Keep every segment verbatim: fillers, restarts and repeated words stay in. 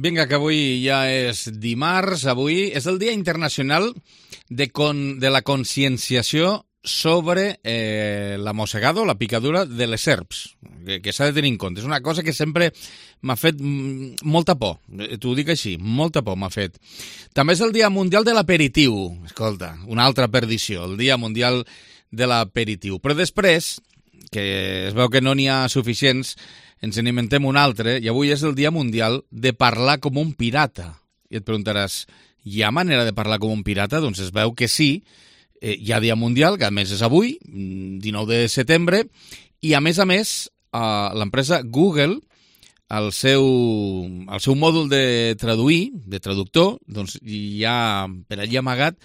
Vinga, que avui ja és dimarts, avui és el Dia Internacional de, con, de la conscienciació sobre eh, la mossegada o la picadura de les serps, que, que s'ha de tenir en compte. És una cosa que sempre m'ha fet molta por, t'ho dic així, molta por m'ha fet. També és el Dia Mundial de l'Aperitiu, escolta, una altra perdició, el Dia Mundial de l'Aperitiu. Però després, que es veu que no n'hi ha suficients, ens n'inventem un altre, i avui és el Dia Mundial de parlar com un pirata. I et preguntaràs, hi ha manera de parlar com un pirata? Doncs es veu que sí, eh, hi ha Dia Mundial, que a més és avui, dinou de setembre, i a més a més, eh, l'empresa Google, el seu, el seu mòdul de traduir, de traductor, doncs hi ha per allí amagat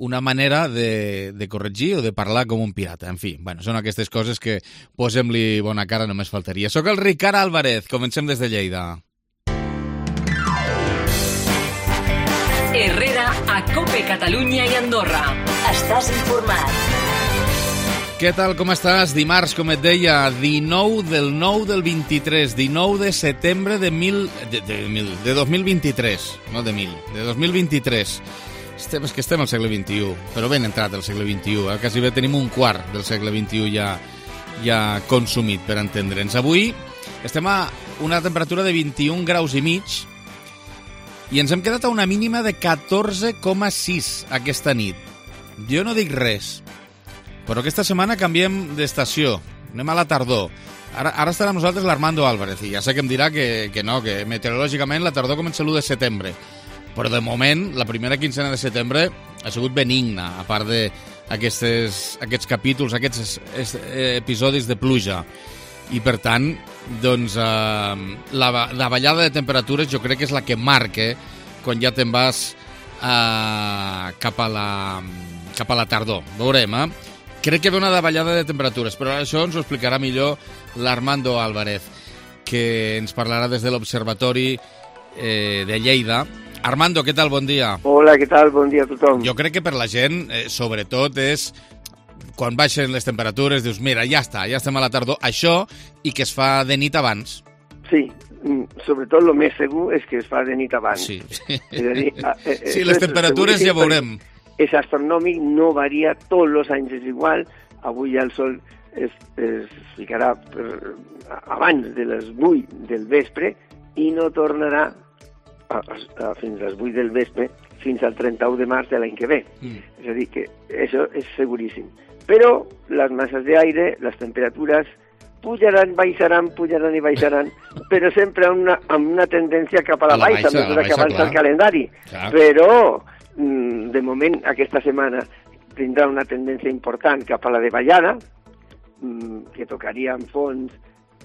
una manera de, de corregir o de parlar com un pirata. En fi, bueno, són aquestes coses que posem-li bona cara, només faltaria. Soc el Ricard Álvarez, comencem des de Lleida. Herrera a Cope Catalunya i Andorra. Estàs informat. Què tal, com estàs? Dimarts, com et deia, dinou del nou del vint-i-tres, dinou de setembre de, mil, de, de, mil, de dos mil vint-i-tres, no de mil, de dos mil vint-i-tres. Estem, és que estem al segle vint-i-u, però ben entrat al segle vint-i-u, eh? Quasi bé tenim un quart del segle vint-i-u ja, ja consumit, per entendre'ns. Avui estem a una temperatura de vint-i-un graus i mig i ens hem quedat a una mínima de catorze coma sis aquesta nit. Jo no dic res, però aquesta setmana canviem d'estació, anem a la tardor. Ara, ara estarà amb nosaltres l'Armando Álvarez, i ja sé que em dirà que, que no, que meteorològicament la tardor comença l'u de setembre. Però de moment, la primera quincena de setembre ha sigut benigna, a part d'aquests aquests capítols, aquests episodis de pluja. I per tant, doncs, eh, la, la ballada de temperatures jo crec que és la que marca quan ja te'n vas eh, cap, a la, cap a la tardor. Veurem, eh? Crec que ve una davallada de temperatures, però això ens ho explicarà millor l'Armando Álvarez, que ens parlarà des de l'Observatori eh, de Lleida. Armando, què tal? Bon dia. Hola, què tal? Bon dia a tothom. Jo crec que per la gent, eh, sobretot, és quan baixen les temperatures, dius, mira, ja està, ja estem a la tardor, això, i que es fa de nit abans. Sí, sobretot el més segur és que es fa de nit abans. Sí, és a dir, eh, sí les temperatures ja veurem. És astronòmic, no varia, tots els anys és igual, avui ja el sol es, es ficarà per, abans de les vuit del vespre i no tornarà A, a, fins a les vuit del vespre, fins al trenta-u de març de l'any que ve. Mm. És a dir, que això és seguríssim. Però les masses d'aire, les temperatures, pujaran, baixaran, pujaran i baixaran, però sempre amb una, amb una tendència cap a la, a la baixa, baixa, a mesura que avança el calendari. Clar. Però, de moment, aquesta setmana tindrà una tendència important cap a la de ballada, que tocaria en fons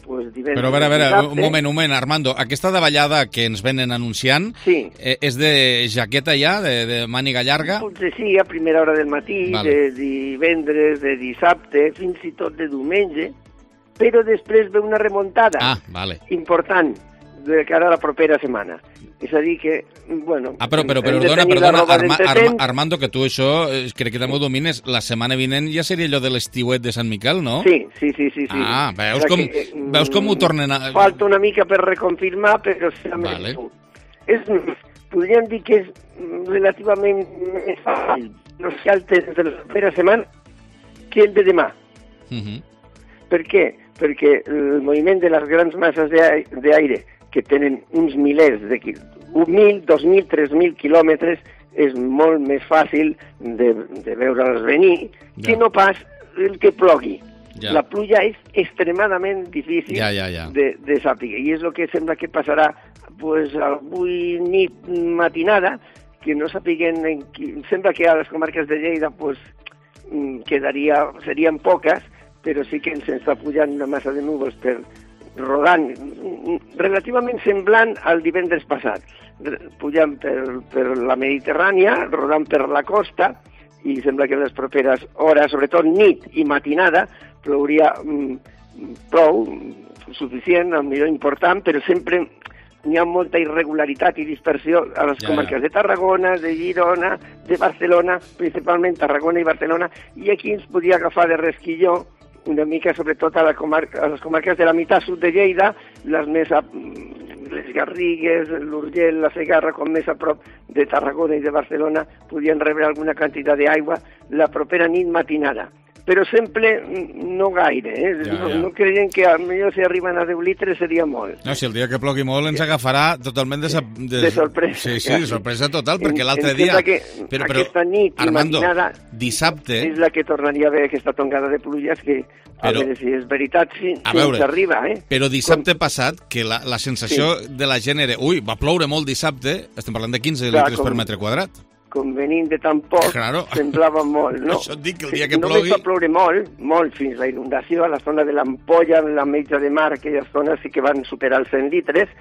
Pues Però a veure, a veure, un moment, un moment, Armando, aquesta davallada que ens venen anunciant, sí. eh, és de jaqueta ja, de, de màniga llarga? Potser sí, a primera hora del matí, vale. De divendres, de dissabte, fins i tot de diumenge, però després ve una remuntada ah, vale. important de cara a la propera setmana. És a dir que, bueno... Ah, però, però, però perdona, perdona, Arma, Arma, Armando, que tu això, eh, crec que també ho domines, la setmana vinent ja seria allò de l'estiuet de Sant Miquel, no? Sí, sí, sí, sí. sí. Ah, veus com, que, veus com ho tornen a... Falta una mica per reconfirmar, però... Vale. És, podríem dir que és relativament més fàcil els caltes de la propera setmana que el de demà. Uh -huh. Per què? Perquè el moviment de les grans masses d'aire que tenen uns milers de un mil, dos mil, tres mil quilòmetres, és molt més fàcil de, de veure'ls venir ja. que no pas el que plogui. Ja. La pluja és extremadament difícil ja, ja, ja. de, de saber, i és el que sembla que passarà pues, avui nit matinada, que no sapiguen, en qui, sembla que a les comarques de Lleida pues, quedaria, serien poques, però sí que ens està pujant una massa de núvols per rodant, relativament semblant al divendres passat, pujant per, per la Mediterrània, rodant per la costa, i sembla que en les properes hores, sobretot nit i matinada, plouria mm, prou, suficient, al millor important, però sempre n'hi ha molta irregularitat i dispersió a les ja, comarques ja. de Tarragona, de Girona, de Barcelona, principalment Tarragona i Barcelona, i aquí ens podria agafar de resquilló una mica, sobretot a, la comarca, a les comarques de la meitat sud de Lleida, les més a, les Garrigues, l'Urgell, la Segarra, com més a prop de Tarragona i de Barcelona, podien rebre alguna quantitat d'aigua la propera nit matinada. Però sempre no gaire, eh? Ja, no, ja. no creien que potser si arriben a deu litres seria molt. No, si el dia que plogui molt ens agafarà totalment de... De, de sorpresa. Sí, sí, de sorpresa total, perquè l'altre em dia... Que però, però, aquesta nit i Armando, matinada dissabte... és la que tornaria a haver aquesta tongada de pluges que, a Però- veure si és veritat, si, A si veure, ens arriba, eh? Però dissabte passat, que la, la sensació de la gent era... Ui, va ploure molt dissabte, estem parlant de quinze Clar, litres com- per metre quadrat. Com venint de tan poc, Claro. semblava molt, no? Això et dic, que el dia que Només plogui- va ploure molt, molt, fins la inundació a la zona de l'Ampolla, la Metja de Mar, aquelles zones sí que van superar els cent litres,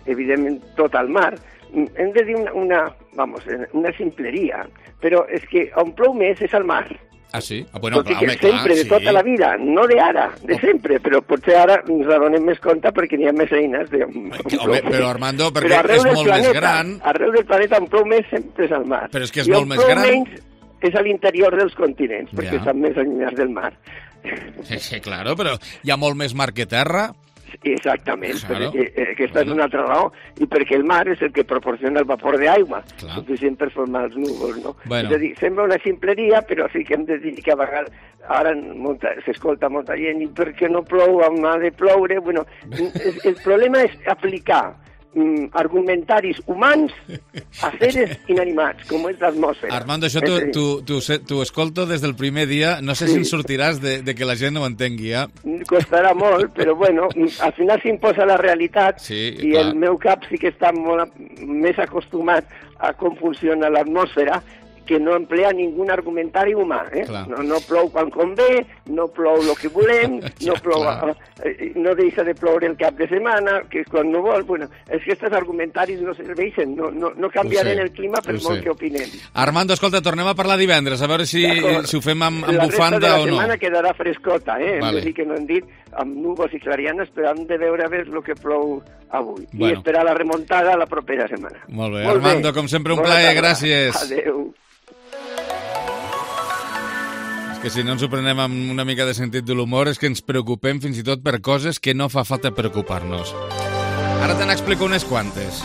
evidentment tot al mar. Hem de dir una, una, vamos, una simpleria, però és que on plou més és al mar. Ah, sí? Ah, bueno, Tot i clar, que home, clar, sempre, de sí. tota la vida, no de ara, de sempre, però potser ara ens adonem més compte perquè n'hi ha més eines. De, Home, però Armando, perquè Però arreu és del molt planeta, més gran... Arreu del planeta on plou més sempre és al mar. Però és que és I molt on més plou gran. menys és a l'interior dels continents, perquè Ja. estan més allunyats del mar. Sí, sí, claro, però hi ha molt més mar que terra. Exactament, Claro. perquè eh, aquesta és una altra raó, i perquè el mar és el que proporciona el vapor d'aigua, Clar. suficient per formar els núvols, no? Bueno. És a dir, sembla una simpleria, però sí que hem de dir que a vegades ara molta, s'escolta molta gent, i per què no plou, on ha de ploure? Bueno, el, el problema és aplicar mm, argumentaris humans a seres inanimats, com és l'atmosfera. Armando, això t'ho tu, tu, tu, tu escolto des del primer dia. No sé Sí. si en sortiràs de, de que la gent no ho entengui, ja. Costarà molt, però bueno, al final s'imposa la realitat Sí, i clar. el meu cap sí que està molt a- més acostumat a com funciona l'atmosfera, que no emplea ningú argumentari humà. Eh? Clar. No, no plou quan convé, no plou el que volem, Ja, no plou, clar. eh, no deixa de ploure el cap de setmana, que és quan no vol. Bueno, és que aquests argumentaris no serveixen, no, no, no canviaran sé, el clima per ho molt sé. que opinem. Armando, escolta, tornem a parlar divendres, a veure si, D'acord. si ho fem amb, amb la bufanda resta de la o no. setmana quedarà frescota, eh? Hem Vale. de dir que no hem dit amb núvols i clarianes, però hem de veure a veure el que plou avui. Bueno. I esperar la remuntada la propera setmana. Molt bé, Armando, com sempre, un Bona plaer, tarda. gràcies. Adéu. És que si no ens ho prenem amb una mica de sentit de l'humor és que ens preocupem fins i tot per coses que no fa falta preocupar-nos. Ara te n'explico unes quantes.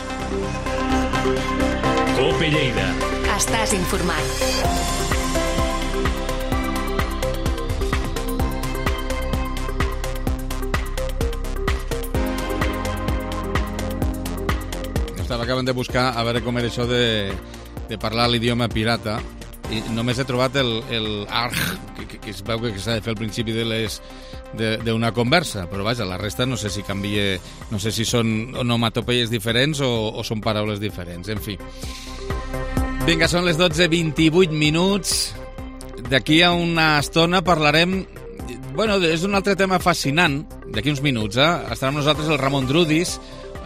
Cope Lleida. Estàs informat. Estava acabant de buscar a veure com era això de, de parlar l'idioma pirata i només he trobat el, el arg, que, que, que es veu que s'ha de fer al principi de les d'una conversa, però vaja, la resta no sé si canvia, no sé si són onomatopeies diferents o, o són paraules diferents, en fi. Vinga, són les dotze vint-i-vuit minuts. D'aquí a una estona parlarem... Bueno, és un altre tema fascinant, d'aquí uns minuts, eh? Estarà amb nosaltres el Ramon Drudis,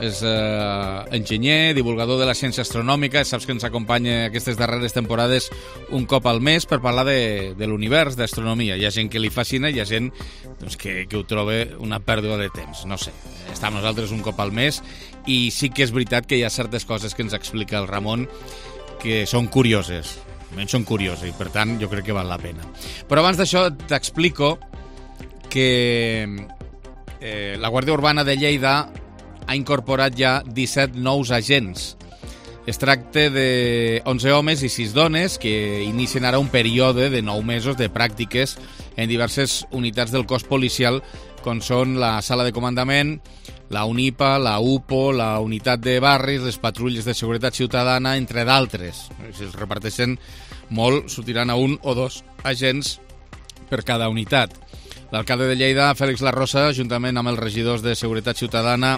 és eh, enginyer, divulgador de la ciència astronòmica, saps que ens acompanya aquestes darreres temporades un cop al mes per parlar de, de l'univers, d'astronomia. Hi ha gent que li fascina, hi ha gent doncs, que, que ho troba una pèrdua de temps, no sé. Està amb nosaltres un cop al mes i sí que és veritat que hi ha certes coses que ens explica el Ramon que són curioses, almenys són curioses i per tant jo crec que val la pena. Però abans d'això t'explico que eh, la Guàrdia Urbana de Lleida ha incorporat ja disset nous agents. Es tracta de onze homes i sis dones que inicien ara un període de nou mesos de pràctiques en diverses unitats del cos policial, com són la sala de comandament, la UNIPA, la UPO, la unitat de barris, les patrulles de seguretat ciutadana, entre d'altres. Si els reparteixen molt, sortiran a un o dos agents per cada unitat. L'alcalde de Lleida, Fèlix Larrosa, juntament amb els regidors de seguretat ciutadana,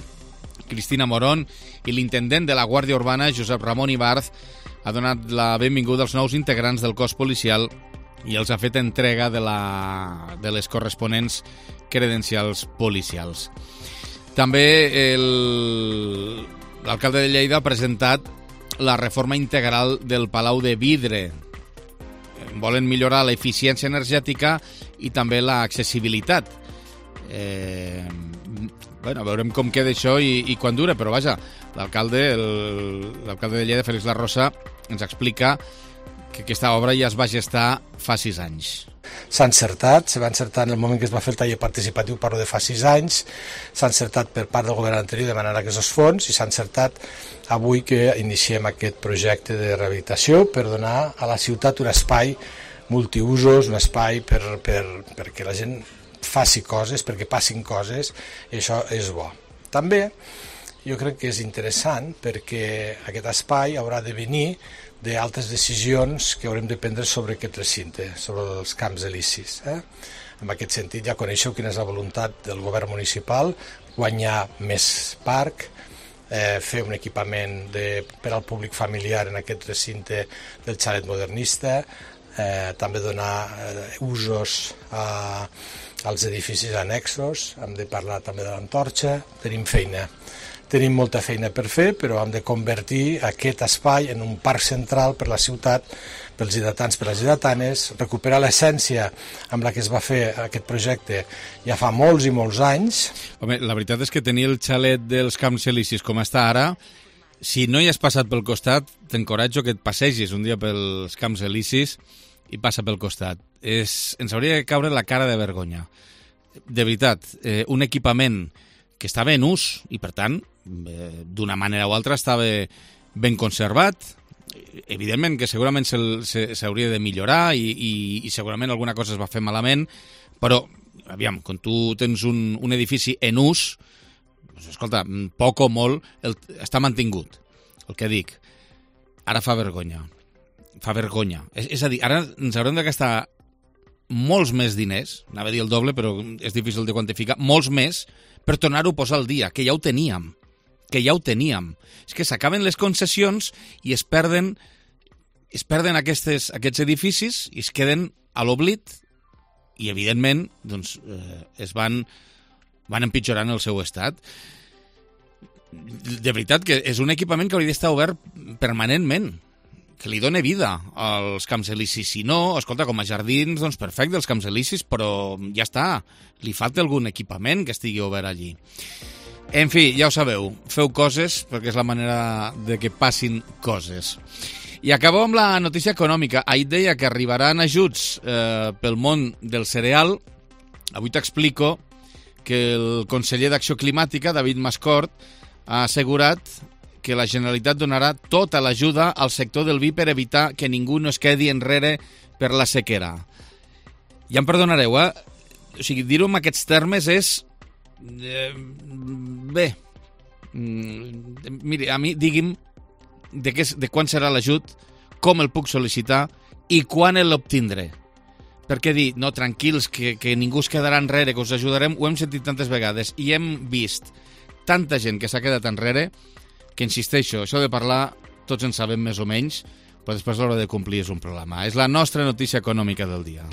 Cristina Morón, i l'intendent de la Guàrdia Urbana, Josep Ramon Ibarz, ha donat la benvinguda als nous integrants del cos policial i els ha fet entrega de, la, de les corresponents credencials policials. També el, l'alcalde de Lleida ha presentat la reforma integral del Palau de Vidre. Volen millorar l'eficiència energètica i també l'accessibilitat. Eh, bueno, veurem com queda això i, i quan dura, però vaja, l'alcalde el, l'alcalde de Lleida, Fèlix Larrosa, ens explica que aquesta obra ja es va gestar fa sis anys. S'ha encertat, se va encertar en el moment que es va fer el taller participatiu, parlo de fa sis anys, s'ha encertat per part del govern anterior demanant aquests fons i s'ha encertat avui que iniciem aquest projecte de rehabilitació per donar a la ciutat un espai multiusos, un espai per, per, perquè la gent faci coses, perquè passin coses, i això és bo. També jo crec que és interessant perquè aquest espai haurà de venir d'altres decisions que haurem de prendre sobre aquest recinte, sobre els camps elisis. Eh? En aquest sentit ja coneixeu quina és la voluntat del govern municipal, guanyar més parc, eh, fer un equipament de, per al públic familiar en aquest recinte del xalet modernista, eh, també donar eh, usos a, als edificis annexos, hem de parlar també de l'Antorxa, tenim feina. Tenim molta feina per fer, però hem de convertir aquest espai en un parc central per la ciutat, pels lleidatans, per les lleidatanes, recuperar l'essència amb la que es va fer aquest projecte ja fa molts i molts anys. Home, la veritat és que tenir el xalet dels Camps Elisis com està ara, si no hi has passat pel costat, t'encoratjo que et passegis un dia pels Camps Elisis i passa pel costat. És, ens hauria de caure la cara de vergonya. De veritat, eh, un equipament que estava en ús i, per tant, eh, d'una manera o altra estava ben conservat. Evidentment que segurament s'hauria de millorar i, i, i segurament alguna cosa es va fer malament, però, aviam, quan tu tens un, un edifici en ús, doncs, escolta, poc o molt el, està mantingut, el que dic. Ara fa vergonya. Fa vergonya. És, és a dir, ara ens haurem de gastar molts més diners, anava a dir el doble, però és difícil de quantificar, molts més, per tornar-ho a posar al dia, que ja ho teníem, que ja ho teníem. És que s'acaben les concessions i es perden, es perden aquestes, aquests edificis i es queden a l'oblit i, evidentment, doncs, eh, es van, van empitjorant el seu estat. De veritat que és un equipament que hauria d'estar obert permanentment, que li doni vida als Camps Elisis. Si no, escolta, com a jardins, doncs perfecte, els Camps Elisis, però ja està, li falta algun equipament que estigui obert allí. En fi, ja ho sabeu, feu coses perquè és la manera de que passin coses. I acabo amb la notícia econòmica. Ahir deia que arribaran ajuts eh, pel món del cereal. Avui t'explico que el conseller d'Acció Climàtica, David Mascort, ha assegurat que la Generalitat donarà tota l'ajuda al sector del vi per evitar que ningú no es quedi enrere per la sequera. Ja em perdonareu, eh? O sigui, dir-ho en aquests termes és... Eh, bé, mm, miri, a mi digui'm de, què, de quan serà l'ajut, com el puc sol·licitar i quan l'obtindré. Perquè dir, no, tranquils, que, que ningú es quedarà enrere, que us ajudarem, ho hem sentit tantes vegades i hem vist tanta gent que s'ha quedat enrere que, insisteixo, això de parlar tots en sabem més o menys, però després l'hora de complir és un problema. És la nostra notícia econòmica del dia.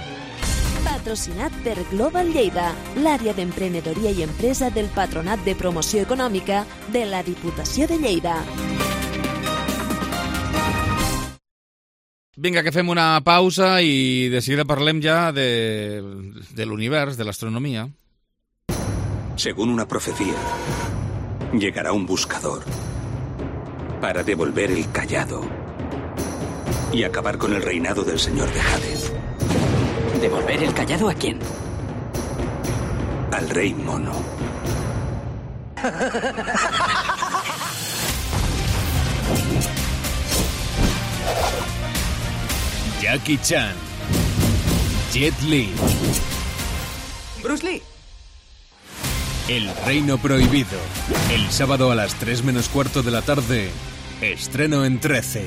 Patrocinat per Global Lleida, l'àrea d'emprenedoria i empresa del Patronat de Promoció Econòmica de la Diputació de Lleida. Vinga, que fem una pausa i de seguida parlem ja de, de l'univers, de l'astronomia. Según una profecía, llegará un buscador para devolver el callado y acabar con el reinado del señor de Hades. ¿Devolver el callado a quién? Al rey mono. Jackie Chan, Jet Li, Bruce Lee. El Reino Prohibido. El sábado a las tres menos cuarto de la tarde. Estreno en trece.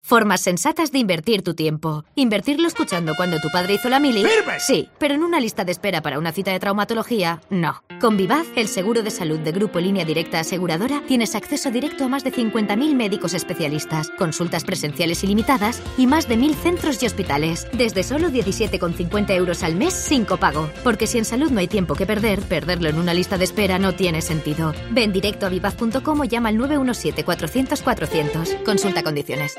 Formas sensatas de invertir tu tiempo. Invertirlo escuchando cuando tu padre hizo la mili. ¡Firme! Sí, pero en una lista de espera para una cita de traumatología, no. Con Vivaz, el seguro de salud de Grupo Línea Directa Aseguradora, tienes acceso directo a más de cincuenta mil médicos especialistas, consultas presenciales ilimitadas y más de mil centros y hospitales. Desde solo diecisiete con cincuenta euros al mes sin copago. Porque si en salud no hay tiempo que perder, perderlo en una lista de espera no tiene sentido. Ven directo a vivaz punto com o llama al nueve uno siete cuatrocientos cuatrocientos. Consulta condiciones.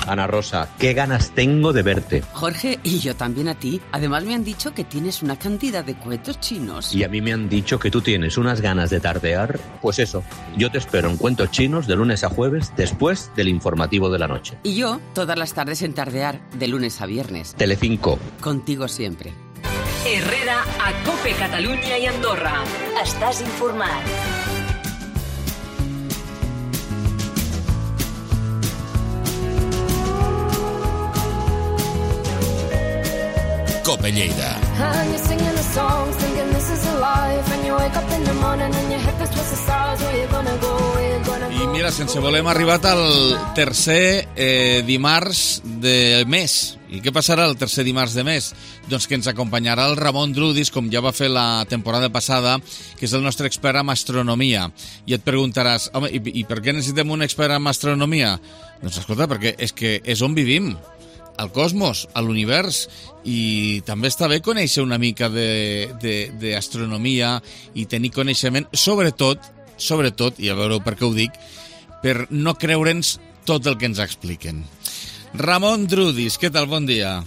Ana Rosa, qué ganas tengo de verte. Jorge, y yo también a ti. Además me han dicho que tienes una cantidad de cuentos chinos. Y a mí me han dicho que tú tienes unas ganas de tardear. Pues eso, yo te espero en Cuentos Chinos de lunes a jueves después del informativo de la noche. Y yo todas las tardes en Tardear, de lunes a viernes. Telecinco. Contigo siempre. Herrera a Cope Catalunya i Andorra. Estàs informat. Cope Lleida. I mira, sense voler hem arribat al tercer eh, dimarts del mes. I què passarà el tercer dimarts de mes? Doncs que ens acompanyarà el Ramon Drudis, com ja va fer la temporada passada, que és el nostre expert en astronomia. I et preguntaràs, home, i, i per què necessitem un expert en astronomia? Doncs escolta, perquè és que és on vivim, al cosmos, a l'univers, i també està bé conèixer una mica d'astronomia i tenir coneixement, sobretot, sobretot, i a veure per què ho dic, per no creure'ns tot el que ens expliquen. Ramon Drudis, què tal? Bon dia.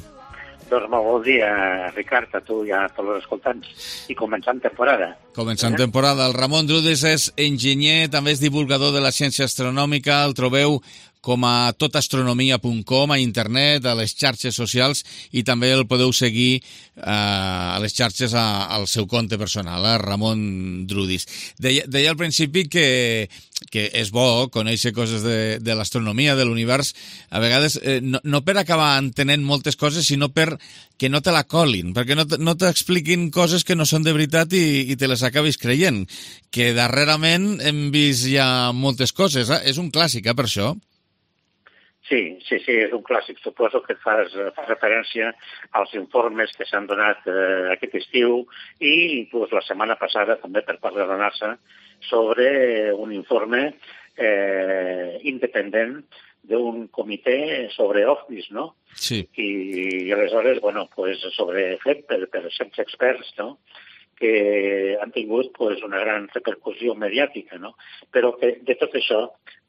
Doncs molt bon dia, Ricard, a tu i a tots els escoltants. I començant temporada. Començant eh? temporada. El Ramon Drudis és enginyer, també és divulgador de la ciència astronòmica, el trobeu com a totastronomia punt com a internet, a les xarxes socials, i també el podeu seguir eh, a les xarxes a, al seu compte personal, eh, Ramon Drudis. Deia, deia al principi que, que és bo conèixer coses de, de l'astronomia, de l'univers, a vegades eh, no, no per acabar entenent moltes coses, sinó per que no te la colin, perquè no, no t'expliquin coses que no són de veritat i, i te les acabis creient, que darrerament hem vist ja moltes coses, eh? És un clàssic, eh, per això. Sí, sí, sí, és un clàssic. Suposo que fas, fas referència als informes que s'han donat eh, aquest estiu i inclús la setmana passada també per part de la NASA sobre un informe eh, independent d'un comitè sobre ovnis, no? Sí. I, i aleshores, bueno, pues sobre fet per, per certs experts, no?, que han tingut pues, una gran repercussió mediàtica, no? Però que de tot això,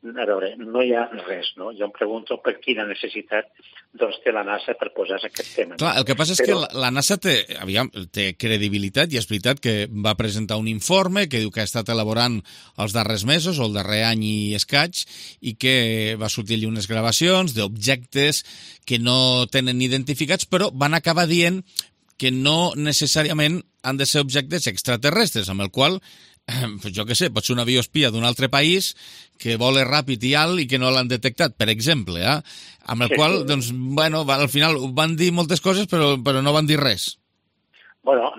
a veure, no hi ha res, no? Jo em pregunto per quina necessitat doncs, té la NASA per posar aquest tema. Clar, el que passa és Però... que la, la NASA té, aviam, té credibilitat, i és veritat que va presentar un informe que diu que ha estat elaborant els darrers mesos, o el darrer any i escaig, i que va sortir allí unes gravacions d'objectes que no tenen identificats, però van acabar dient que no necessàriament han de ser objectes extraterrestres, amb el qual, eh, jo què sé, pot ser un avió espia d'un altre país que vola ràpid i alt i que no l'han detectat, per exemple, eh? Amb el sí, qual, sí. doncs, bueno, al final van dir moltes coses, però, però no van dir res. Bueno,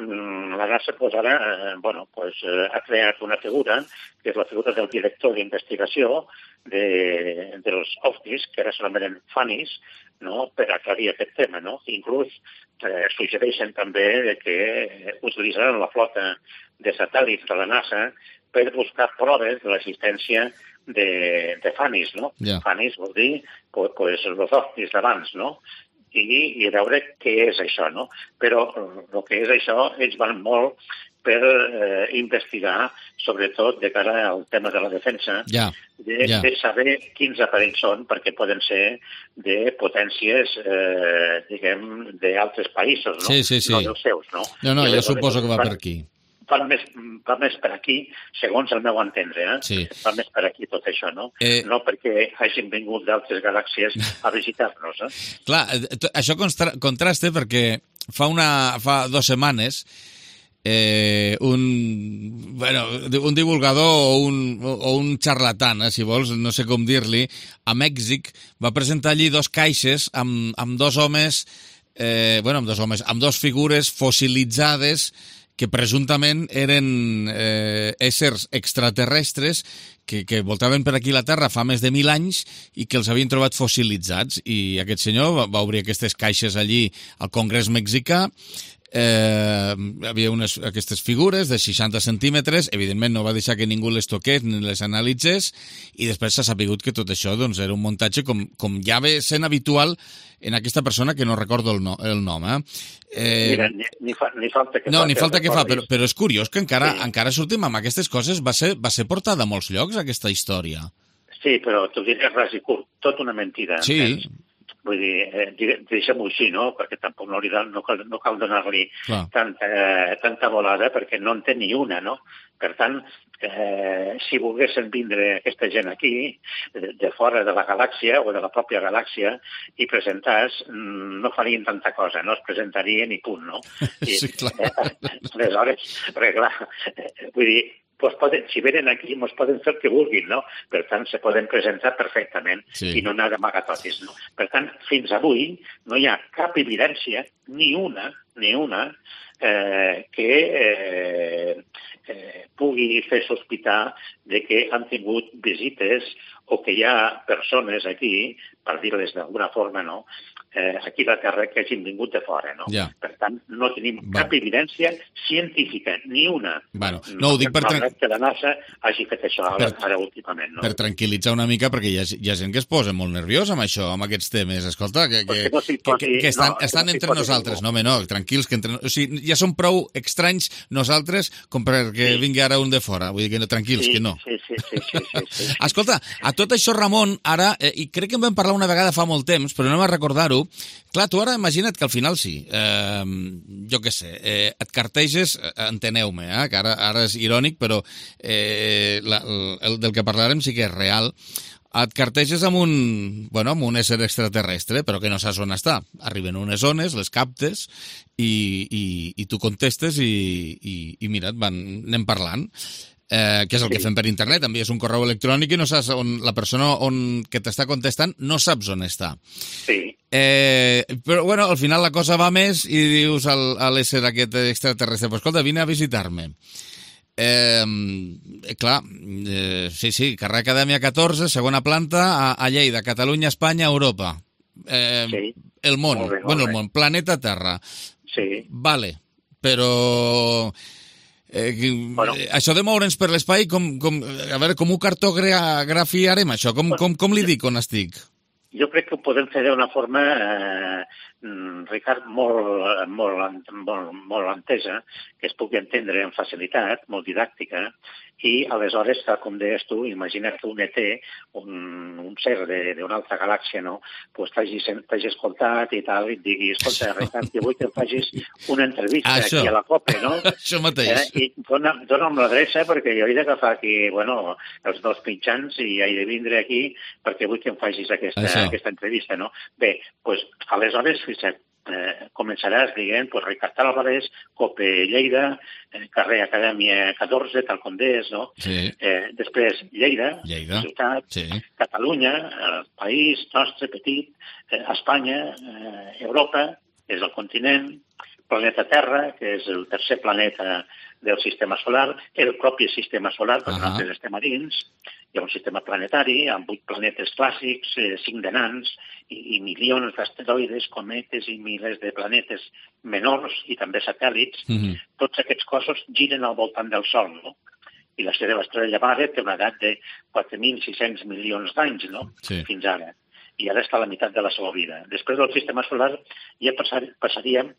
la NASA pues, ara eh, bueno, pues, eh, ha creat una figura, que és la figura del director d'investigació de, dels ovnis, que ara s'anomenen FANIS, no?, per aclarir aquest tema, no? Inclús eh, suggereixen també que utilitzaran la flota de satèl·lits de la NASA per buscar proves de l'existència de, de FANIS, no? Yeah. FANIS vol dir pues, pues, els ovnis d'abans, no?, I, i veure què és això, no? Però el que és això, ells van molt per eh, investigar, sobretot de cara al tema de la defensa, ja, de, ja. de saber quins aparells són, perquè poden ser de potències, eh, diguem, d'altres països, no? Sí, sí, sí. No dels seus, no? No, no, I jo suposo que va per aquí. Va més, va més per aquí, segons el meu entendre, eh? Sí. Va més per aquí tot això, no? Eh... No perquè hagin vingut d'altres galàxies a visitar-nos, eh? Clar, això contra contrasta perquè fa, una, fa dues setmanes eh, un, bueno, un divulgador o un, o un xarlatan, eh, si vols, no sé com dir-li, a Mèxic va presentar allí dos caixes amb, amb dos homes, eh, bueno, amb dos homes, amb dos figures fossilitzades que presumptament eren eh, éssers extraterrestres que, que voltaven per aquí la Terra fa més de mil anys i que els havien trobat fossilitzats. I aquest senyor va, va obrir aquestes caixes allí al Congrés mexicà. Eh, hi havia unes, aquestes figures de seixanta centímetres, evidentment no va deixar que ningú les toqués ni les analitzés, i després s'ha sapigut que tot això doncs, era un muntatge com, com ja ve sent habitual en aquesta persona que no recordo el, no, el nom. Eh? Eh, Mira, ni, ni, fa, ni falta que no, fa. ni falta que fa, però, però és curiós que encara, sí. encara sortim amb aquestes coses. Va ser, va ser portada a molts llocs, aquesta història. Sí, però t'ho diré ras i curt, tot una mentida. Sí. Entens? Vull dir, eh, deixem-ho així, no? Perquè tampoc no, li, no cal, no cal donar-li tanta, eh, tanta volada, perquè no en té ni una, no? Per tant, eh, si volguessin vindre aquesta gent aquí, de, de fora de la galàxia o de la pròpia galàxia, i presentar-se, no farien tanta cosa, no? Es presentarien i punt, no? I, sí, clar. Eh, aleshores, perquè clar, vull dir, pues poden, si venen aquí, ens poden fer el que vulguin, no? Per tant, se poden presentar perfectament sí. i no anar d'amagatotis, no? Per tant, fins avui no hi ha cap evidència, ni una, ni una, eh, que eh, eh, pugui fer sospitar de que han tingut visites o que hi ha persones aquí, per dir-les d'alguna forma, no?, eh, aquí a la Terra que hagin vingut de fora, no? Ja. Per tant, no tenim bueno. cap evidència científica, ni una. Bueno, no, ho dic per... Malgrat que la NASA hagi fet això ara, per, ara últimament, no? Per tranquil·litzar una mica, perquè hi ha, hi ha gent que es posa molt nerviós amb això, amb aquests temes. Escolta, que, que, no si posi, que, que estan, no, estan no entre nosaltres. No, home, no, tranquils, que entre... O sigui, ja som prou estranys nosaltres com perquè sí. vingui ara un de fora. Vull dir que no, tranquils, sí, que no. Sí, sí, sí, sí, sí, sí. Escolta, a tot això, Ramon, ara, eh, i crec que en vam parlar una vegada fa molt temps, però no m'ha recordar-ho. Clar, tu ara imagina't que al final sí, eh, jo què sé, eh, et carteges, enteneu-me, eh, que ara, ara és irònic, però eh, la, el del que parlarem sí que és real, et carteges amb un, bueno, amb un ésser extraterrestre, però que no saps on està. Arriben unes ones, les captes, i, i, i tu contestes i, i, i mira, et van, anem parlant. Eh, que és el sí. que fem per internet, envies un correu electrònic i no saps on la persona on, que t'està contestant no saps on està. Sí. Eh, però, bueno, al final la cosa va més i dius al, a l'ésser aquest extraterrestre, pues, escolta, vine a visitar-me. Eh, clar, eh, sí, sí, carrer Acadèmia catorze, segona planta, a, a Lleida, Catalunya, Espanya, Europa. Eh, sí. El món, molt bé, molt bueno, el món, planeta Terra. Sí. Vale, però... Eh, bueno. Això de moure'ns per l'espai, com, com, a veure, com ho cartografiarem, això? Com, com, com li dic on estic? Jo crec que ho podem fer d'una forma, eh, Ricard, molt, molt, molt, molt entesa, que es pugui entendre amb facilitat, molt didàctica, i aleshores, tal com deies tu, imagina't que un E T, un, un ser d'una altra galàxia, no?, pues t'hagi escoltat i tal, i et digui, escolta, Ricard, que vull que em facis una entrevista això. Aquí a la COPE, no? Això mateix. Eh? I dona, dona'm l'adreça, perquè jo he d'agafar aquí, bueno, els dos mitjans i he de vindre aquí perquè vull que em facis aquesta, aquesta entrevista, no? Bé, doncs, aleshores, fixa't, Eh, començaràs dient, pues, Ricard Álvarez, COPE Lleida, eh, carrer Acadèmia catorze, tal com deies, no? Sí. Eh, després Lleida, Lleida. ciutat, sí. Catalunya, el país nostre petit, eh, Espanya, eh, Europa, és el continent, planeta Terra, que és el tercer planeta del sistema solar, el propi sistema solar, perquè uh-huh. nosaltres estem a dins. Hi ha un sistema planetari amb vuit planetes clàssics, eh, cinc de nans i, i milions d'asteroides, cometes i milers de planetes menors i també satèl·lits. Mm-hmm. Tots aquests cossos giren al voltant del Sol, no? I la seva estrella mare té una edat de quatre mil sis-cents milions d'anys, no? Sí. Fins ara. I ara està a la meitat de la seva vida. Després del sistema solar ja passar, passaríem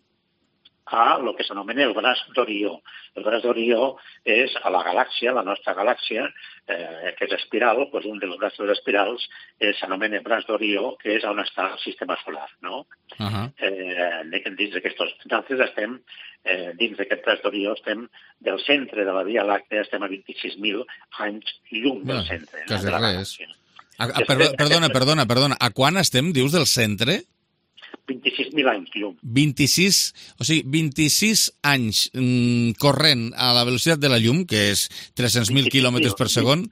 a el que s'anomena el braç d'Orió. El braç d'Orió és a la galàxia, la nostra galàxia, eh, que és espiral, doncs un dels braços espirals eh, s'anomena braç d'Orió, que és on està el sistema solar, no? Uh-huh. Eh, dins d'aquestos... Nosaltres estem, eh, dins d'aquest braç d'Orió, estem del centre de la Via Làctea, estem a vint-i-sis mil anys llum del centre. Quasi no? res. A, a, perdona, perdona, perdona. A quan estem, dius, del centre? vint-i-sis mil anys llum. vint-i-sis, o sigui, vint-i-sis anys mm, corrent a la velocitat de la llum, que és tres-cents mil quilòmetres per segon.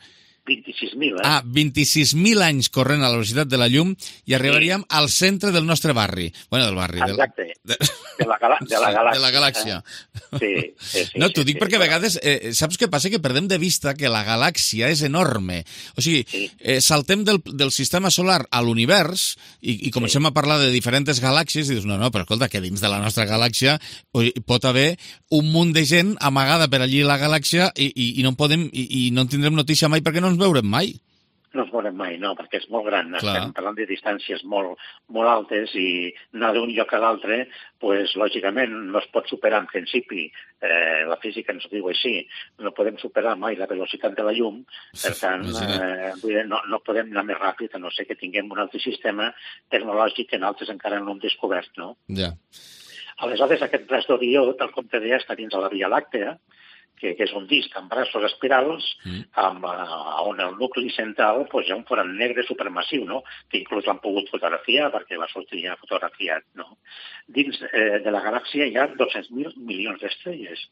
vint-i-sis mil, eh? Ah, vint-i-sis mil anys corrent a la velocitat de la llum i arribaríem sí. al centre del nostre barri. Bueno, del barri. Exacte. De, de, la, gala, de la galàxia. De la galàxia. Eh? Sí, sí, sí. No, t'ho sí, dic sí, perquè sí, a vegades, eh, saps què passa? Que perdem de vista que la galàxia és enorme. O sigui, sí. eh, saltem del, del sistema solar a l'univers i, i comencem sí. a parlar de diferents galàxies i dius, no, no, però escolta, que dins de la nostra galàxia pot haver un munt de gent amagada per allí a la galàxia i, i, i no en podem, i, i no en tindrem notícia mai perquè no ens veurem mai. no es veurem mai, no, perquè és molt gran. Clar. Estem parlant de distàncies molt, molt altes i anar d'un lloc a l'altre, pues, lògicament, no es pot superar en principi. Eh, la física ens ho diu així. No podem superar mai la velocitat de la llum, per tant, eh, vull dir, no, no podem anar més ràpid, a no ser que tinguem un altre sistema tecnològic que nosaltres encara no hem descobert, no? Ja. Aleshores, aquest braç d'Orió, tal com te deia, està dins de la Via Làctea, que, que és un disc amb braços espirals, mm. amb, uh, on el nucli central pues, hi ha un forat negre supermassiu, no? Que inclús l'han pogut fotografiar, perquè va sortir ja fotografiat. No? Dins eh, de la galàxia hi ha dos-cents mil milions d'estrelles.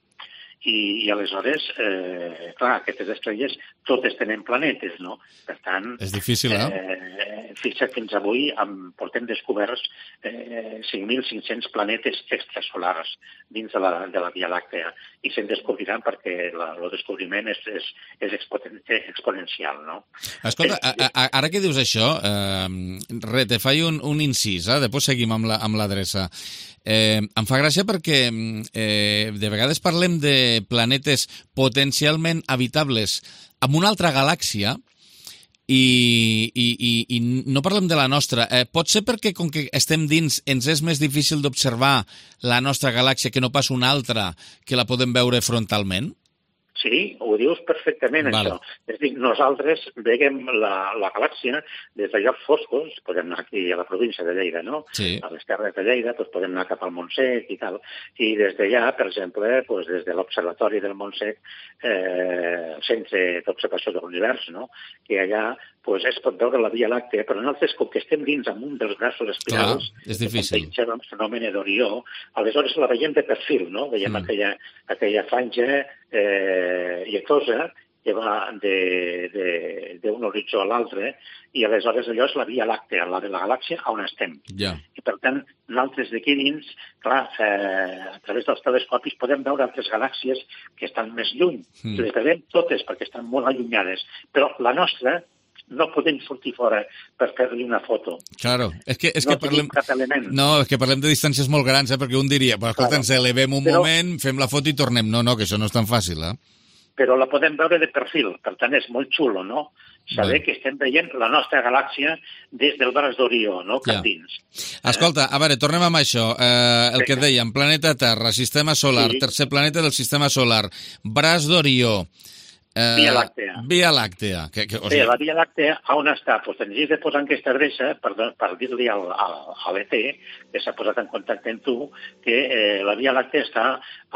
I, i aleshores, eh, clar, aquestes estrelles totes tenen planetes, no? Per tant... És difícil, eh? eh fixa't, fins avui amb, portem descoberts eh, cinc mil cinc-cents planetes extrasolars dins de la, de la Via Làctea i se'n descobriran perquè el descobriment és, és, és exponen, exponencial, no? Escolta, a, a, ara que dius això, eh, re, te faig un, un incís, eh? Després seguim amb la, amb l'adreça. Eh, em fa gràcia perquè eh, de vegades parlem de planetes potencialment habitables en una altra galàxia i, i, i, i no parlem de la nostra. Eh, pot ser perquè, com que estem dins, ens és més difícil d'observar la nostra galàxia que no pas una altra que la podem veure frontalment? Sí, ho dius perfectament, vale. Això. És a dir, nosaltres veiem la, la galàxia des de llocs foscos, podem anar aquí a la província de Lleida, no? Sí. A les terres de Lleida, doncs podem anar cap al Montsec i tal. I des d'allà, per exemple, doncs des de l'Observatori del Montsec, eh, el Centre d'Observació de l'Univers, no? Que allà pues, es pot veure la Via Làctea, però nosaltres, com que estem dins amb un dels braços espirals, clar, és difícil. Que el fenomen d'Orió, aleshores la veiem de perfil, no? Veiem mm. aquella, aquella franja eh, lletosa que va d'un horitzó a l'altre, i aleshores allò és la Via Làctea, la de la galàxia on estem. Yeah. I per tant, nosaltres d'aquí dins, clar, eh, a través dels telescopis podem veure altres galàxies que estan més lluny. Mm. Les veiem totes perquè estan molt allunyades, però la nostra no podem sortir fora per fer-li una foto. Claro, és que, és no que parlem... cap element. No, és que parlem de distàncies molt grans, eh? Perquè un diria, però escolta, claro. Ens elevem un però... moment, fem la foto i tornem. No, no, que això no és tan fàcil, eh? Però la podem veure de perfil, per tant és molt xulo, no? Saber Bé. que estem veient la nostra galàxia des del braç d'Orió, no? Cap ja. dins. Escolta, a veure, tornem amb això. Eh, el sí. que dèiem, planeta Terra, sistema solar, sí. tercer planeta del sistema solar, braç d'Orió, Eh, Via Làctea. Via Làctea. Que, que, o sigui... Sí, la Via Làctea, on està? Pues tenies de posar aquesta adreça per, per dir-li al, al, a l'E T, que s'ha posat en contacte amb tu, que eh, la Via Làctea està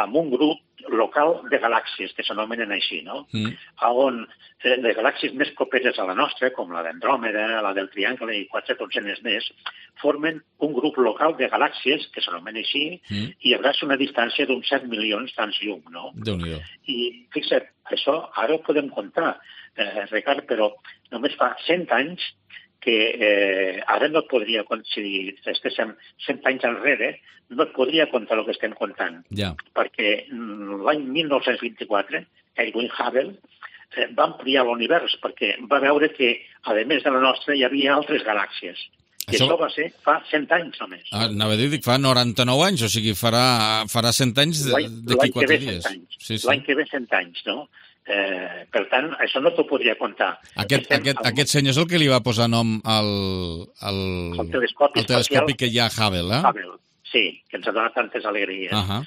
en un grup local de galàxies, que s'anomenen així, no? Mm. On eh, les galàxies més properes a la nostra, com la d'Andròmeda, la del Triangle i quatre dotzenes més, formen un grup local de galàxies, que s'anomena així, mm. i abraça una distància d'uns set milions d'anys llum, no? Déu-n'hi-do. I fixa't, això ara ho podem comptar, eh, Ricard, però només fa cent anys que eh, ara no et podria, si estéssim cent anys enrere, no et podria comptar el que estem comptant. Ja. Perquè l'any mil nou-cents vint-i-quatre, Edwin Hubble eh, va ampliar l'univers, perquè va veure que, a més de la nostra, hi havia altres galàxies. I això, això va ser fa cent anys només. Ah, anava a dir que fa noranta-nou anys, o sigui, farà, farà cent anys d'aquí quatre dies. Sí, sí. L'any que ve cent anys, no? Eh, per tant, això no t'ho podria comptar. Aquest, aquest, amb... aquest senyor és el que li va posar nom al, al, el telescopi, al telescopi que hi ha a Hubble, eh? Hubble, sí, que ens ha donat tantes alegries. Uh -huh.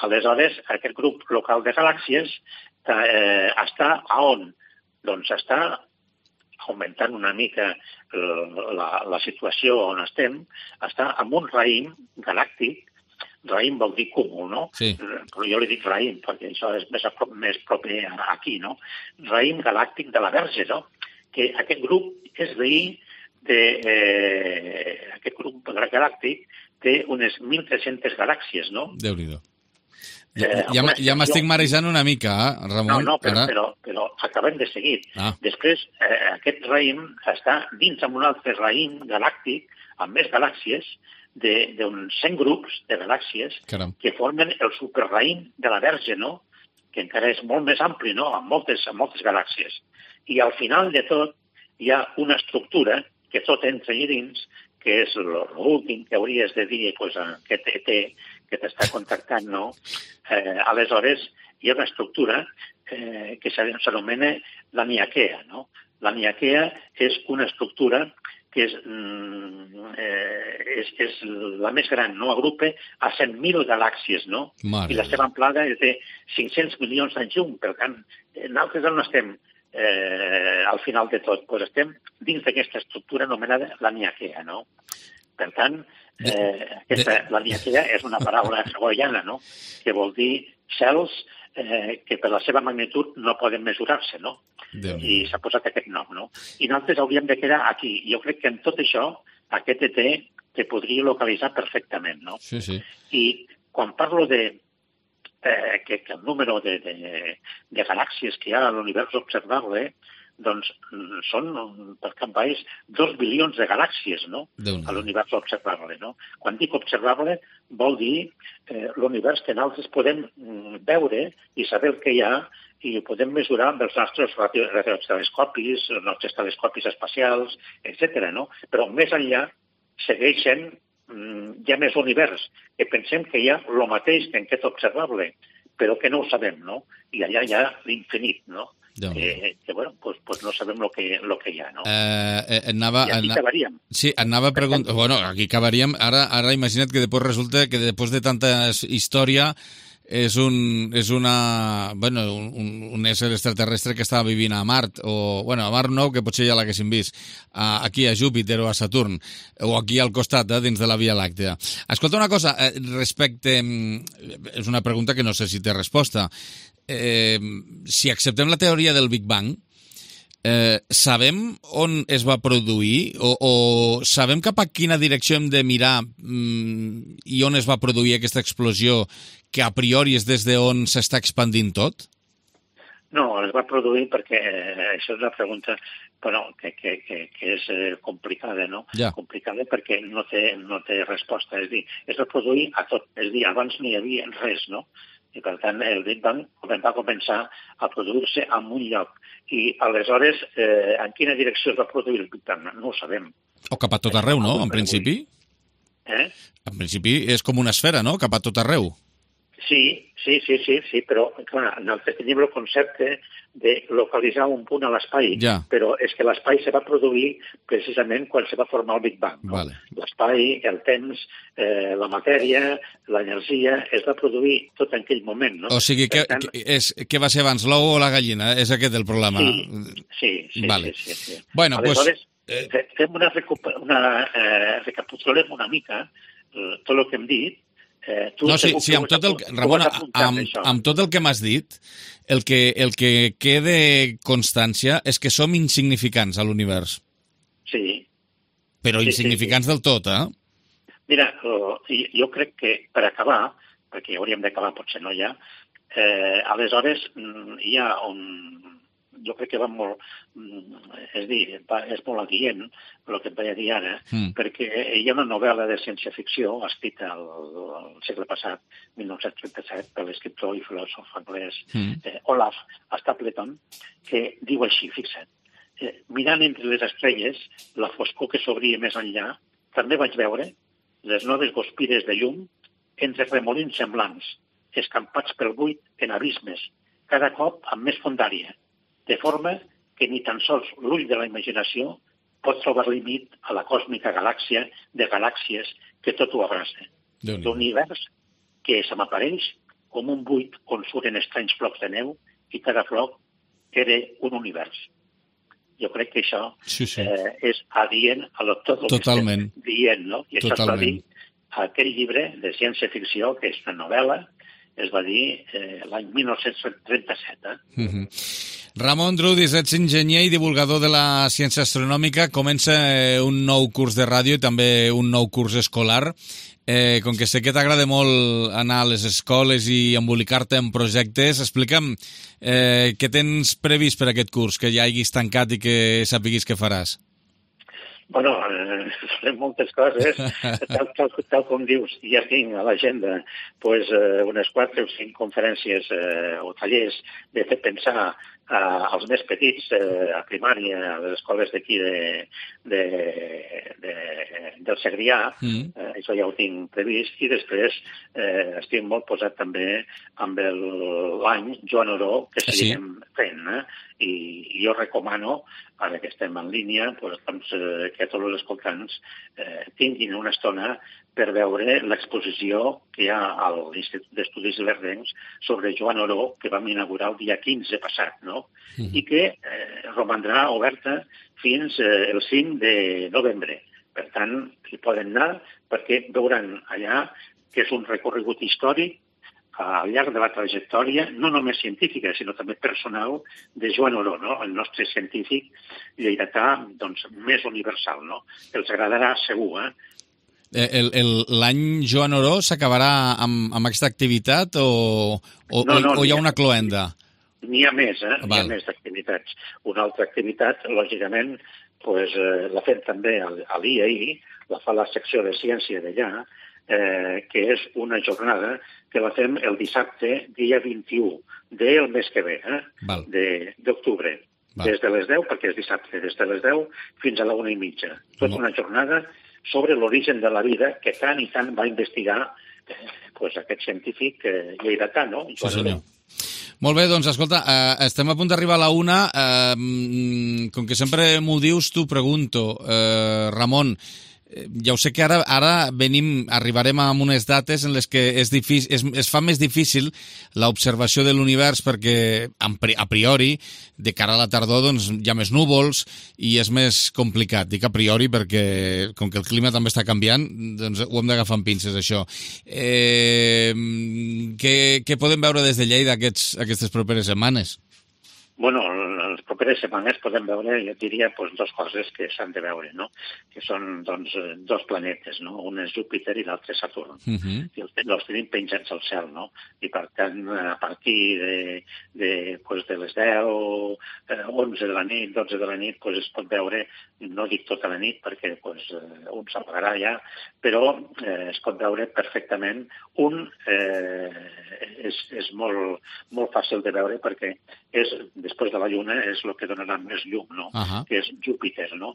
Aleshores, aquest grup local de galàxies eh, està a on? Doncs està augmentant una mica la, la situació on estem, està en un raïm galàctic. Raïm vol dir cúmul, no? Sí. Però jo li dic raïm, perquè això és més, més proper aquí, no? Raïm galàctic de la Verge, no? Que aquest grup és veí de... Eh, aquest grup galàctic té unes mil tres-centes galàxies, no? Déu-n'hi-do. Ja, eh, ja, ja m'estic marejant una mica, eh, Ramon? No, no, però, però, però acabem de seguir. Ah. Després, eh, aquest raïm està dins amb un altre raïm galàctic amb més galàxies, d'uns cent grups de galàxies Caram. que formen el superraïm de la Verge, no? Que encara és molt més ampli, no? Amb moltes, amb moltes galàxies. I al final de tot hi ha una estructura que tot entra allà dins, que és l'últim que hauries de dir, pues, aquest E T que t'està contactant, no? Eh, aleshores, hi ha una estructura eh, que s'anomena la Niaquea, no? Niaquea és una estructura que és, eh, és, és la més gran, no? Agrupa a cent mil galàxies, no? Mare. I la seva amplada és de cinc-cents milions d'anys llum. Per tant, nosaltres no estem eh, al final de tot, doncs estem dins d'aquesta estructura anomenada la Niaquea, no? Per tant, eh, aquesta, la Niaquea és una paraula hawaiana, no? Que vol dir cels eh, que per la seva magnitud no poden mesurar-se, no? I s'ha posat aquest nom, no? I nosaltres hauríem de quedar aquí. Jo crec que en tot això, aquest E T te podria localitzar perfectament, no? Sí, sí. I quan parlo de eh, que, que el número de, de, de galàxies que hi ha a l'univers observable, doncs són, per cap baix, dos bilions de galàxies, no?, a l'univers observable, no? Quan dic observable, vol dir eh, l'univers que nosaltres podem veure i saber el que hi ha i ho podem mesurar amb els nostres radiotelescopis, els nostres telescopis espacials, etcètera, no? Però més enllà segueixen, hi ha més univers, que pensem que hi ha el mateix que en aquest observable, però que no ho sabem, no? I allà hi ha l'infinit, no? Que, que, bueno, pues, pues no sabem lo que, lo que hi ha, no? Eh, eh, anava, I aquí anava, acabaríem. Sí, anava a preguntar... Bueno, aquí acabaríem. Ara, ara imagina't que després resulta que després de tanta història és un, és una, bueno, un, un ésser extraterrestre que estava vivint a Mart, o, bueno, a Mart no, que potser ja l'haguéssim vist, a, aquí a Júpiter o a Saturn, o aquí al costat, eh, dins de la Via Làctea. Escolta una cosa, eh, respecte... És una pregunta que no sé si té resposta. Eh, si acceptem la teoria del Big Bang, eh, sabem on es va produir o, o sabem cap a quina direcció hem de mirar mm, i on es va produir aquesta explosió que a priori és des d'on s'està expandint tot? No, es va produir perquè eh, això és una pregunta bueno, que, que, que, que és eh, complicada, no? Ja. Complicada perquè no té, no té resposta. És dir, es va produir a tot. És dir, abans no hi havia res, no? I, per tant, el Big Bang va començar a produir-se en un lloc. I, aleshores, eh, en quina direcció es va produir el Big Bang? No ho sabem. O cap a tot arreu, no?, en principi? Eh? En principi és com una esfera, no?, cap a tot arreu. Sí, sí, sí, sí, sí, però clar, nosaltres tenim el concepte de localitzar un punt a l'espai, ja. Però és que l'espai se va produir precisament quan se va formar el Big Bang. No? Vale. L'espai, el temps, eh, la matèria, l'energia, es va produir tot en aquell moment. No? O sigui, que, tant... que, és, què va ser abans, l'ou o la gallina? És aquest el problema? Sí, sí, sí. Vale. sí, sí, sí. Bueno, aleshores, pues, eh... fem una, una eh, recapitulem una mica eh, tot el que hem dit. Eh, tu no, sí, sí, amb tot el, Ramon, amb, amb tot el que m'has dit, el que, el que quede constància és que som insignificants a l'univers. Sí. Però sí, insignificants sí, sí. del tot, eh? Mira, jo crec que per acabar, perquè hauríem d'acabar, potser no ja, eh, aleshores hi ha un... Jo crec que va molt, és dir, va, és molt adient el que et vaig dir ara, mm. perquè hi ha una novel·la de ciència-ficció escrita al, al segle passat, mil nou-cents trenta-set, per l'escriptor i filòsof anglès mm. eh, Olaf Stapleton, que diu així, fixa't, eh, mirant entre les estrelles la foscor que s'obria més enllà, també vaig veure les noves guspires de llum entre remolins semblants, escampats pel buit en abismes, cada cop amb més fondària, de forma que ni tan sols l'ull de la imaginació pot trobar límit a la còsmica galàxia de galàxies que tot ho abraça. L'univers que se m'apareix com un buit on surten estranys flocs de neu i cada floc era un univers. Jo crec que això sí, sí. Eh, és adient a lo, tot el Totalment. que estem dient, no? I això Totalment. es va dir a aquell llibre de ciència-ficció, que és una novel·la, es va dir eh, l'any mil nou-cents trenta-set. Eh? Mm-hmm. Ramon Drudis, ets enginyer i divulgador de la ciència astronòmica. Comença un nou curs de ràdio i també un nou curs escolar. Eh, com que sé que t'agrada molt anar a les escoles i embolicar-te en projectes, explica'm eh, què tens previst per aquest curs, que ja hagis tancat i que sapiguis què faràs. Bueno, eh, farem moltes coses, tal, tal, tal com dius, ja tinc a l'agenda pues, eh, unes quatre o cinc conferències eh, o tallers de fer pensar eh, als més petits, eh, a primària, a les escoles d'aquí de, de, de, del Segrià, mm. eh, això ja ho tinc previst, i després eh, estic molt posat també amb l'any Joan Oró que seguirem sí. fent, eh? I, i jo recomano, ara que estem en línia, pues, doncs, eh, que tots els escoltants eh, tinguin una estona per veure l'exposició que hi ha a l'Institut d'Estudis Lerdencs sobre Joan Oró, que vam inaugurar el dia quinze passat, no? Mm-hmm. I que eh, romandrà oberta fins eh, el cinc de novembre. Per tant, hi poden anar perquè veuran allà que és un recorregut històric al llarg de la trajectòria, no només científica, sinó també personal, de Joan Oró, no? El nostre científic lleidatà doncs, més universal. No? Els agradarà segur, eh? L'any Joan Oró s'acabarà amb, amb aquesta activitat o, o, no, no, o hi ha una cloenda? N'hi ha més, eh? N'hi ha més d'activitats. Una altra activitat, lògicament, pues, eh, la fem també a l'I A I, la fa la secció de ciència d'allà, eh, que és una jornada que la fem el dissabte, dia vint-i-u del mes que ve, eh? d'octubre. Des de les deu, perquè és dissabte, des de les deu fins a la una i mitja. Tota una jornada sobre l'origen de la vida que tant i tant va investigar eh, pues, aquest científic eh, lleidatà, no? Sí, senyor. Molt bé, doncs, escolta, eh, estem a punt d'arribar a la una. Eh, com que sempre m'ho dius, t'ho pregunto. Eh, Ramon, ja ho sé que ara, ara venim, arribarem a unes dates en les que és difícil, es, es fa més difícil l'observació de l'univers perquè, a priori, de cara a la tardor, doncs, hi ha més núvols i és més complicat. Dic a priori perquè, com que el clima també està canviant, doncs ho hem d'agafar amb pinces, això. Eh, què, què podem veure des de Lleida aquests, aquestes properes setmanes? Bueno, les properes setmanes podem veure, jo diria, doncs, dues coses que s'han de veure, no? Que són, doncs, dos planetes, no? Un és Júpiter i l'altre Saturn. Uh-huh. I els, els tenim penjats al cel, no? I, per tant, a partir de, de, pues, de les deu, onze de la nit, dotze de la nit, pues, es pot veure, no dic tota la nit, perquè pues, un s'apagarà ja, però eh, es pot veure perfectament. Un eh, és, és molt, molt fàcil de veure perquè és, després de la Lluna, és el que donarà més llum, no? Uh-huh. Que és Júpiter, no?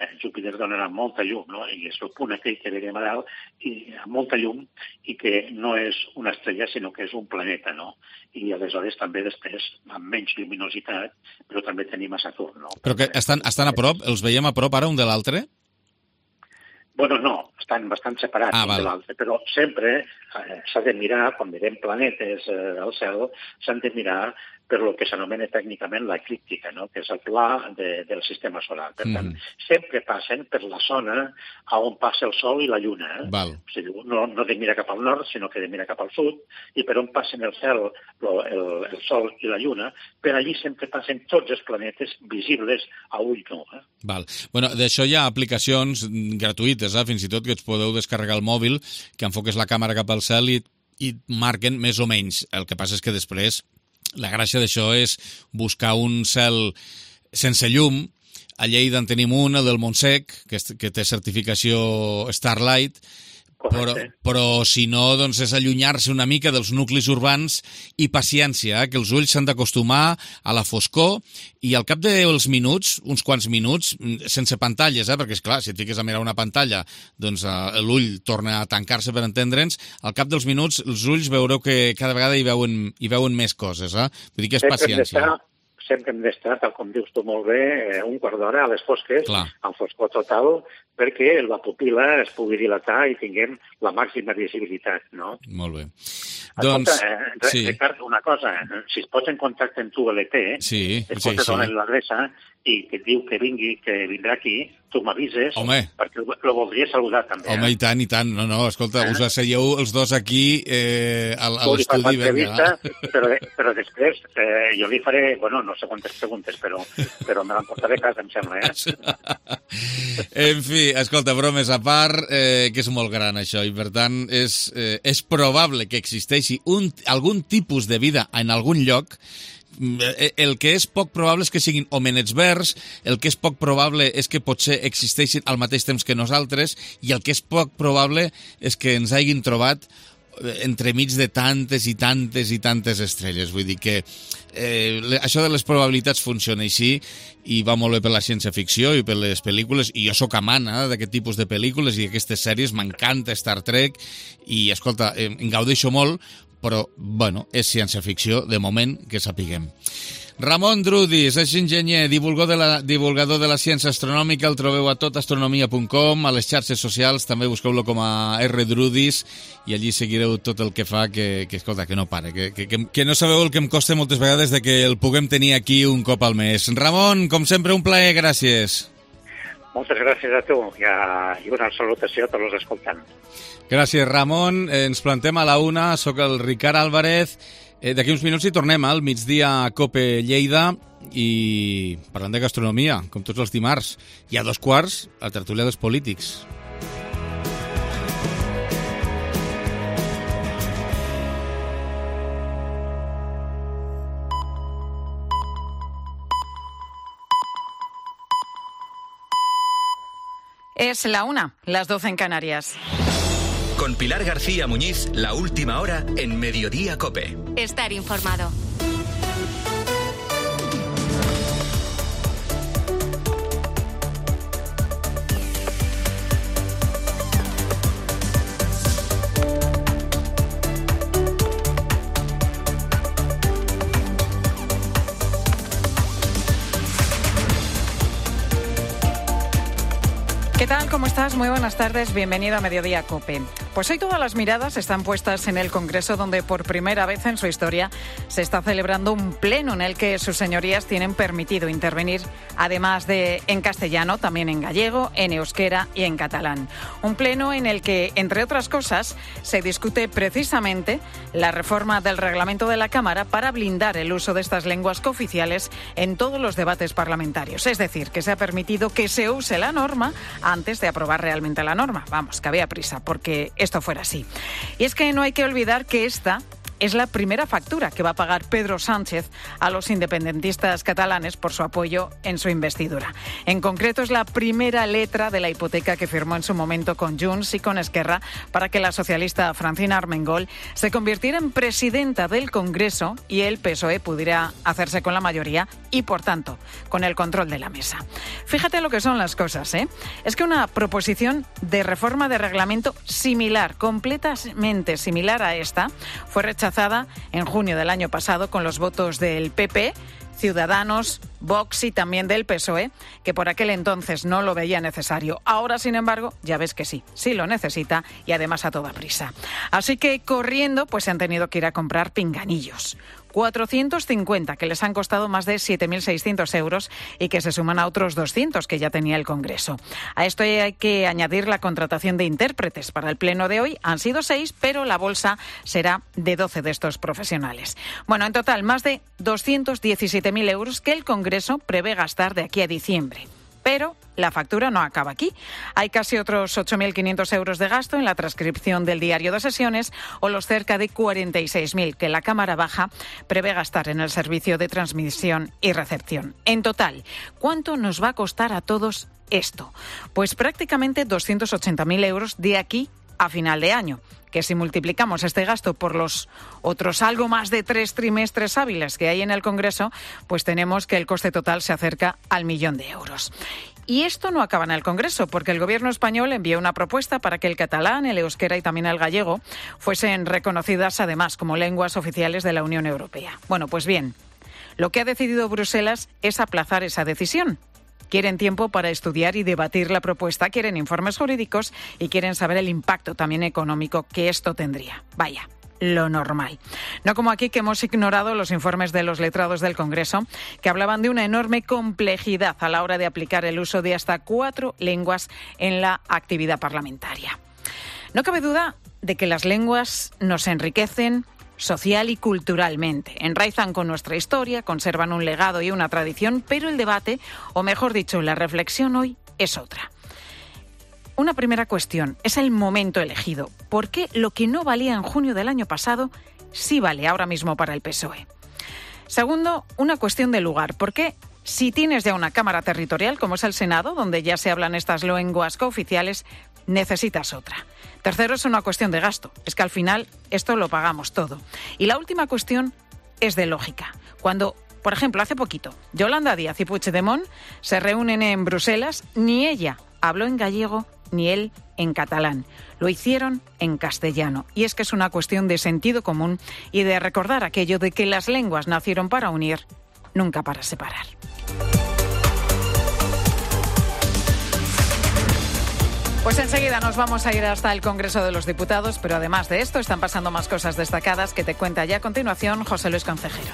Eh, Júpiter donarà molta llum, no? I és el punt aquell que veiem a dalt, i amb molta llum, i que no és una estrella, sinó que és un planeta, no? I aleshores també després, amb menys lluminositat, però també tenim a Saturn, no? Però que estan, estan a prop? Els veiem a prop ara un de l'altre? Bueno, no, estan bastant separats ah, un de l'altre, però sempre eh, s'ha de mirar, quan mirem planetes eh, al cel, s'han de mirar per el que s'anomena tècnicament l'eclíptica, no? Que és el pla de, del sistema solar. Per tant, mm. sempre passen per la zona on passa el Sol i la Lluna. Eh? Val. O sigui, no, no de mirar cap al nord, sinó que de mirar cap al sud, i per on passen el cel, el, el, el Sol i la Lluna, per allí sempre passen tots els planetes visibles a ull nu. Eh? Val. Bueno, d'això hi ha aplicacions gratuïtes, eh? Fins i tot que ens podeu descarregar el mòbil, que enfoques la càmera cap al cel i, i marquen més o menys. El que passa és que després la gràcia d'això és buscar un cel sense llum. A Lleida en tenim un, el del Montsec, que, que té certificació Starlight, però, però si no, doncs és allunyar-se una mica dels nuclis urbans i paciència, eh? Que els ulls s'han d'acostumar a la foscor i al cap dels minuts, uns quants minuts, sense pantalles, eh? Perquè, esclar, si et fiques a mirar una pantalla, doncs eh, l'ull torna a tancar-se, per entendre'ns, al cap dels minuts els ulls veureu que cada vegada hi veuen, hi veuen més coses, eh? Vull dir que és paciència. Sempre hem d'estar, tal com dius tu molt bé, un quart d'hora a les fosques, Clar. en foscor total, perquè la pupil·la es pugui dilatar i tinguem la màxima visibilitat, no? Molt bé. Escolta, doncs, eh, sí. Ricard, una cosa, si es pots en contacte amb tu L T, sí, es sí, pot sí. donar l'adreça i que et diu que vingui, que vindrà aquí, tu m'avises, Home. perquè el voldria saludar també. Home, eh? i tant, i tant. No, no, escolta, eh? us asseieu els dos aquí eh, a, a l'estudi. Però, però després eh, jo li faré, bueno, no sé quantes preguntes, però, però me l'emportaré a casa, em sembla, eh? En fi, escolta, bromes a part, eh, que és molt gran això, i per tant és, eh, és probable que existeixi un, algun tipus de vida en algun lloc. El que és poc probable és que siguin homenets verds, el que és poc probable és que potser existeixin al mateix temps que nosaltres, i el que és poc probable és que ens hagin trobat entremig de tantes i tantes i tantes estrelles. Vull dir que eh, això de les probabilitats funciona així i va molt bé per la ciència-ficció i per les pel·lícules, i jo sóc amant eh, d'aquest tipus de pel·lícules i aquestes sèries, m'encanta Star Trek i, escolta, em gaudeixo molt, però, bueno, és ciència-ficció, de moment, que sapiguem. Ramon Drudis és enginyer, divulgador de, la, divulgador de la ciència astronòmica, el trobeu a tot astronomia punt com, a les xarxes socials, també busqueu-lo com a R Drudis, i allí seguireu tot el que fa, que, que escolta, que no pare, que, que, que no sabeu el que em costa moltes vegades de que el puguem tenir aquí un cop al mes. Ramon, com sempre, un plaer, gràcies. Moltes gràcies a tu i, a, i una salutació a tots els escoltants. Gràcies, Ramon. Ens plantem a la una, sóc el Ricard Álvarez. Eh, D'aquí uns minuts hi tornem al migdia a Cope Lleida i parlant de gastronomia, com tots els dimarts. I a dos quarts, la tertúlia dels polítics. Es la una, las doce en Canarias. Con Pilar García Muñiz, la última hora en Mediodía COPE. Estar informado. ¿Qué tal? ¿Cómo estás? Muy buenas tardes. Bienvenido a Mediodía COPE. Pues hoy todas las miradas están puestas en el Congreso, donde por primera vez en su historia se está celebrando un pleno en el que sus señorías tienen permitido intervenir, además de en castellano, también en gallego, en euskera y en catalán. Un pleno en el que, entre otras cosas, se discute precisamente la reforma del reglamento de la Cámara para blindar el uso de estas lenguas cooficiales en todos los debates parlamentarios. Es decir, que se ha permitido que se use la norma antes de aprobar realmente la norma. Vamos, que había prisa porque esto fuera así. Y es que no hay que olvidar que esta es la primera factura que va a pagar Pedro Sánchez a los independentistas catalanes por su apoyo en su investidura. En concreto, es la primera letra de la hipoteca que firmó en su momento con Junts y con Esquerra para que la socialista Francina Armengol se convirtiera en presidenta del Congreso y el P S O E pudiera hacerse con la mayoría y, por tanto, con el control de la mesa. Fíjate lo que son las cosas, ¿eh? Es que una proposición de reforma de reglamento similar, completamente similar a esta, fue rechazada en junio del año pasado con los votos del P P, Ciudadanos, Vox y también del P S O E, que por aquel entonces no lo veía necesario. Ahora, sin embargo, ya ves que sí, sí lo necesita y además a toda prisa. Así que corriendo, pues se han tenido que ir a comprar pinganillos. cuatrocientos cincuenta, que les han costado más de siete mil seiscientos euros y que se suman a otros doscientos que ya tenía el Congreso. A esto hay que añadir la contratación de intérpretes. Para el pleno de hoy han sido seis, pero la bolsa será de doce de estos profesionales. Bueno, en total, más de doscientos diecisiete mil euros que el Congreso prevé gastar de aquí a diciembre. Pero la factura no acaba aquí. Hay casi otros ocho mil quinientos euros de gasto en la transcripción del diario de sesiones o los cerca de cuarenta y seis mil que la Cámara Baja prevé gastar en el servicio de transmisión y recepción. En total, ¿cuánto nos va a costar a todos esto? Pues prácticamente doscientos ochenta mil euros de aquí a final de año, que si multiplicamos este gasto por los otros algo más de tres trimestres hábiles que hay en el Congreso, pues tenemos que el coste total se acerca al millón de euros. Y esto no acaba en el Congreso, porque el Gobierno español envió una propuesta para que el catalán, el euskera y también el gallego fuesen reconocidas además como lenguas oficiales de la Unión Europea. Bueno, pues bien, lo que ha decidido Bruselas es aplazar esa decisión. Quieren tiempo para estudiar y debatir la propuesta, quieren informes jurídicos y quieren saber el impacto también económico que esto tendría. Vaya, lo normal. No como aquí, que hemos ignorado los informes de los letrados del Congreso, que hablaban de una enorme complejidad a la hora de aplicar el uso de hasta cuatro lenguas en la actividad parlamentaria. No cabe duda de que las lenguas nos enriquecen social y culturalmente. Enraizan con nuestra historia, conservan un legado y una tradición, pero el debate, o mejor dicho, la reflexión hoy es otra. Una primera cuestión, es el momento elegido. ¿Por qué lo que no valía en junio del año pasado sí vale ahora mismo para el P S O E? Segundo, una cuestión de lugar. ¿Por qué, si tienes ya una Cámara territorial, como es el Senado, donde ya se hablan estas lenguas cooficiales, necesitas otra. Tercero, es una cuestión de gasto. Es que al final esto lo pagamos todo. Y la última cuestión es de lógica. Cuando, por ejemplo, hace poquito, Yolanda Díaz y Puigdemont se reúnen en Bruselas, ni ella habló en gallego ni él en catalán. Lo hicieron en castellano. Y es que es una cuestión de sentido común y de recordar aquello de que las lenguas nacieron para unir, nunca para separar. Pues enseguida nos vamos a ir hasta el Congreso de los Diputados, pero además de esto están pasando más cosas destacadas que te cuenta ya a continuación José Luis Concejero.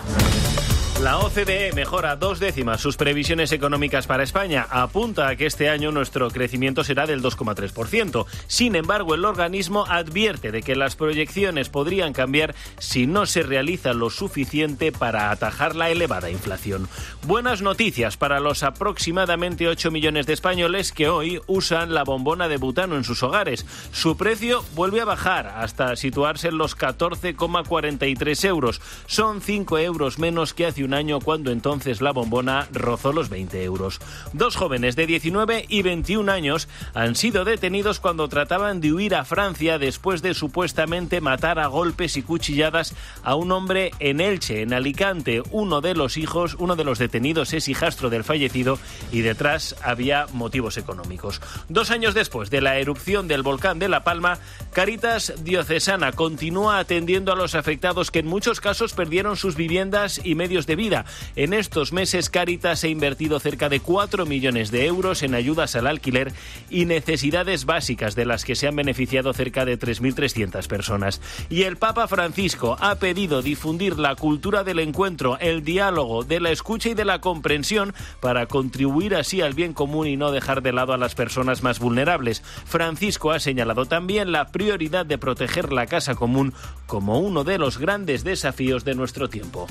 La O C D E mejora dos décimas sus previsiones económicas para España. Apunta a que este año nuestro crecimiento será del dos coma tres por ciento. Sin embargo, el organismo advierte de que las proyecciones podrían cambiar si no se realiza lo suficiente para atajar la elevada inflación. Buenas noticias para los aproximadamente ocho millones de españoles que hoy usan la bombona de butano en sus hogares. Su precio vuelve a bajar hasta situarse en los catorce coma cuarenta y tres euros. Son cinco euros menos que hace un año, cuando entonces la bombona rozó los veinte euros. Dos jóvenes de diecinueve y veintiún años han sido detenidos cuando trataban de huir a Francia después de supuestamente matar a golpes y cuchilladas a un hombre en Elche, en Alicante. Uno de los hijos, uno de los detenidos es hijastro del fallecido y detrás había motivos económicos. Dos años después de la erupción del volcán de La Palma, Cáritas Diocesana continúa atendiendo a los afectados que en muchos casos perdieron sus viviendas y medios de vida. En estos meses, Cáritas ha invertido cerca de cuatro millones de euros en ayudas al alquiler y necesidades básicas, de las que se han beneficiado cerca de tres mil trescientas personas. Y el Papa Francisco ha pedido difundir la cultura del encuentro, el diálogo, de la escucha y de la comprensión para contribuir así al bien común y no dejar de lado a las personas más vulnerables. Francisco ha señalado también la prioridad de proteger la casa común como uno de los grandes desafíos de nuestro tiempo.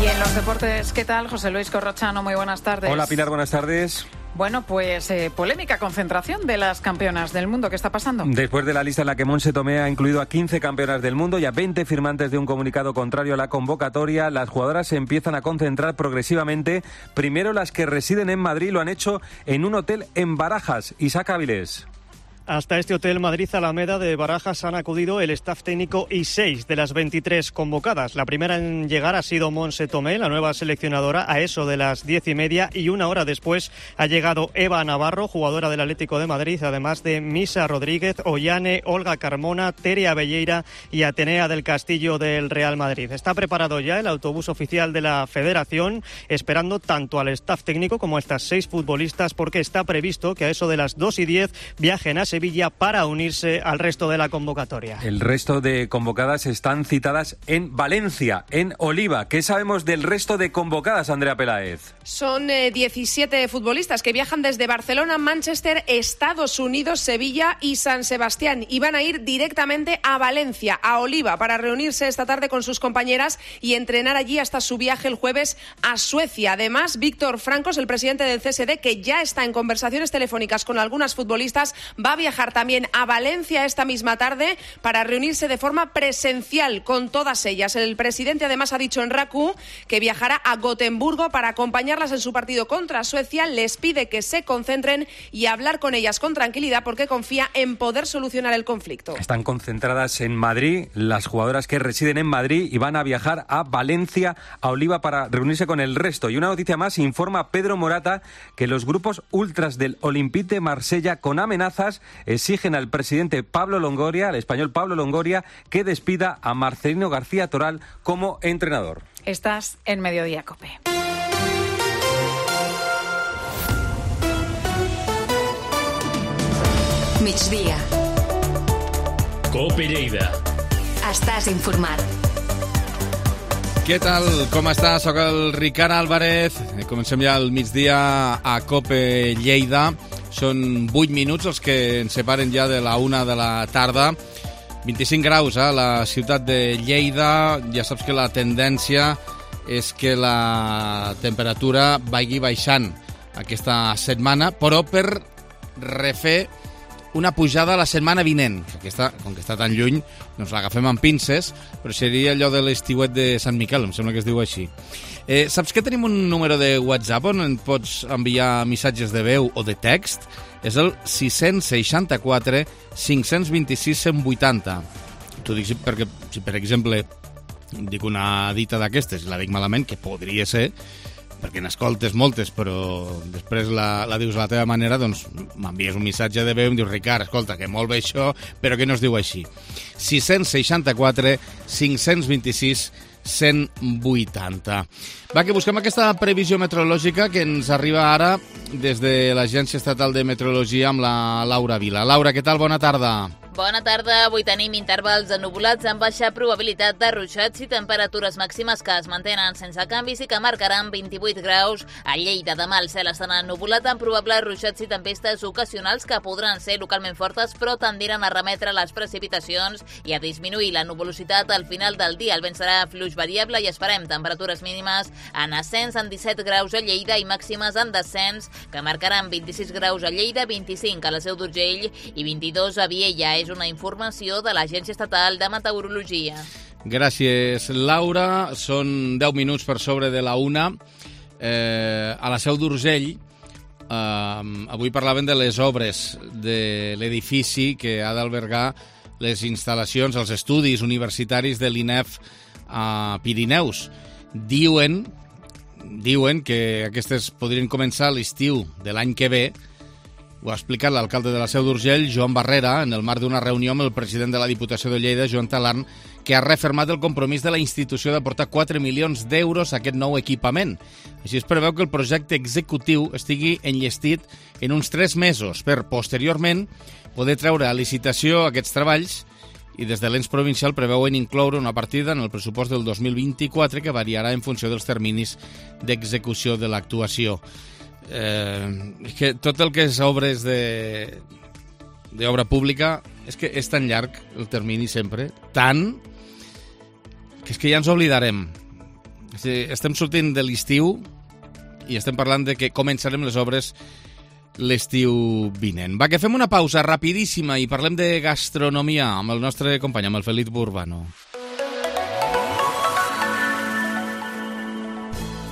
Y en los deportes, ¿qué tal? José Luis Corrochano, muy buenas tardes. Hola Pilar, buenas tardes. Bueno, pues eh, polémica concentración de las campeonas del mundo. ¿Qué está pasando? Después de la lista en la que Montse Tomé ha incluido a quince campeonas del mundo y a veinte firmantes de un comunicado contrario a la convocatoria, las jugadoras se empiezan a concentrar progresivamente. Primero, las que residen en Madrid lo han hecho en un hotel en Barajas. Isaac Áviles. Hasta este hotel Madrid Alameda de Barajas han acudido el staff técnico y seis de las veintitrés convocadas. La primera en llegar ha sido Montse Tomé, la nueva seleccionadora, a eso de las diez y media, y una hora después ha llegado Eva Navarro, jugadora del Atlético de Madrid, además de Misa Rodríguez, Ollane, Olga Carmona, Tere Abelleira y Atenea del Castillo del Real Madrid. Está preparado ya el autobús oficial de la Federación, esperando tanto al staff técnico como a estas seis futbolistas, porque está previsto que a eso de las dos y diez viajen a Sevilla para unirse al resto de la convocatoria. El resto de convocadas están citadas en Valencia, en Oliva. ¿Qué sabemos del resto de convocadas, Andrea Peláez? Son eh, diecisiete futbolistas que viajan desde Barcelona, Manchester, Estados Unidos, Sevilla y San Sebastián, y van a ir directamente a Valencia, a Oliva, para reunirse esta tarde con sus compañeras y entrenar allí hasta su viaje el jueves a Suecia. Además, Víctor Francos, el presidente del C S D, que ya está en conversaciones telefónicas con algunas futbolistas, va a viajar también a Valencia esta misma tarde para reunirse de forma presencial con todas ellas. El presidente además ha dicho en R A C U que viajará a Gotemburgo para acompañarlas en su partido contra Suecia. Les pide que se concentren y hablar con ellas con tranquilidad, porque confía en poder solucionar el conflicto. Están concentradas en Madrid las jugadoras que residen en Madrid y van a viajar a Valencia, a Oliva, para reunirse con el resto. Y una noticia más: informa Pedro Morata que los grupos ultras del Olympique de Marsella, con amenazas, exigen al presidente Pablo Longoria, al español Pablo Longoria, que despida a Marcelino García Toral como entrenador. Estás en Mediodía COPE. Migdia. COPE Lleida. Estàs informat. Què tal? Com està? Soc el Ricard Álvarez. Comencem ja el migdia a COPE Lleida. Són vuit minuts els que ens separen ja de la una de la tarda. vint-i-cinc graus a la ciutat de Lleida. Ja saps que la tendència és que la temperatura vagi baixant aquesta setmana, però per refer una pujada la setmana vinent. Aquesta, com que està tan lluny, doncs l'agafem amb pinces, però seria allò de l'estiuet de Sant Miquel, em sembla que es diu així. Eh, saps que tenim un número de WhatsApp on en pots enviar missatges de veu o de text? És el sis seixanta-quatre cinc vint-i-sis cent vuitanta. T'ho dic perquè, si per exemple dic una dita d'aquestes i la dic malament, que podria ser, perquè n'escoltes moltes, però després la, la dius a la teva manera, doncs m'envies un missatge de veu i em dius, Ricard, escolta, que molt bé això, però que no es diu així. sis seixanta-quatre cinc vint-i-sis cent vuitanta. Va, que busquem aquesta previsió meteorològica que ens arriba ara des de l'Agència Estatal de Meteorologia amb la Laura Vila. Laura, què tal? Bona tarda. Bona tarda. Avui tenim intervals ennuvolats amb baixa probabilitat de ruixats i temperatures màximes que es mantenen sense canvis i que marcaran vint-i-vuit graus a Lleida. Demà el cel estarà ennuvolat amb probables ruixats i tempestes ocasionals que podran ser localment fortes però tendiran a remetre les precipitacions i a disminuir la nuvolositat al final del dia. El vent serà fluix variable i esperem temperatures mínimes en ascens en disset graus a Lleida i màximes en descens que marcaran vint-i-sis graus a Lleida, vint-i-cinc a la Seu d'Urgell i vint-i-dos a Viella. És una informació de l'Agència Estatal de Meteorologia. Gràcies, Laura. Són deu minuts per sobre de la una. Eh, a la Seu d'Urgell, eh, avui parlaven de les obres de l'edifici que ha d'albergar les instal·lacions, els estudis universitaris de l'I N E F a Pirineus. Diuen, diuen que aquestes podrien començar a l'estiu de l'any que ve. Ho ha explicat l'alcalde de la Seu d'Urgell, Joan Barrera, en el marc d'una reunió amb el president de la Diputació de Lleida, Joan Talarn, que ha refermat el compromís de la institució d'aportar quatre milions d'euros a aquest nou equipament. Així es preveu que el projecte executiu estigui enllestit en uns tres mesos per, posteriorment, poder treure a licitació aquests treballs i des de l'ens provincial preveuen incloure una partida en el pressupost del dos mil vint-i-quatre que variarà en funció dels terminis d'execució de l'actuació. Eh, és que tot el que és obres de d'obra pública és que és tan llarg el termini sempre, tant que és que ja ens oblidarem. És dir, estem sortint de l'estiu i estem parlant de que començarem les obres l'estiu vinent. Va, que fem una pausa rapidíssima i parlem de gastronomia amb el nostre company, amb el Felip Urbano.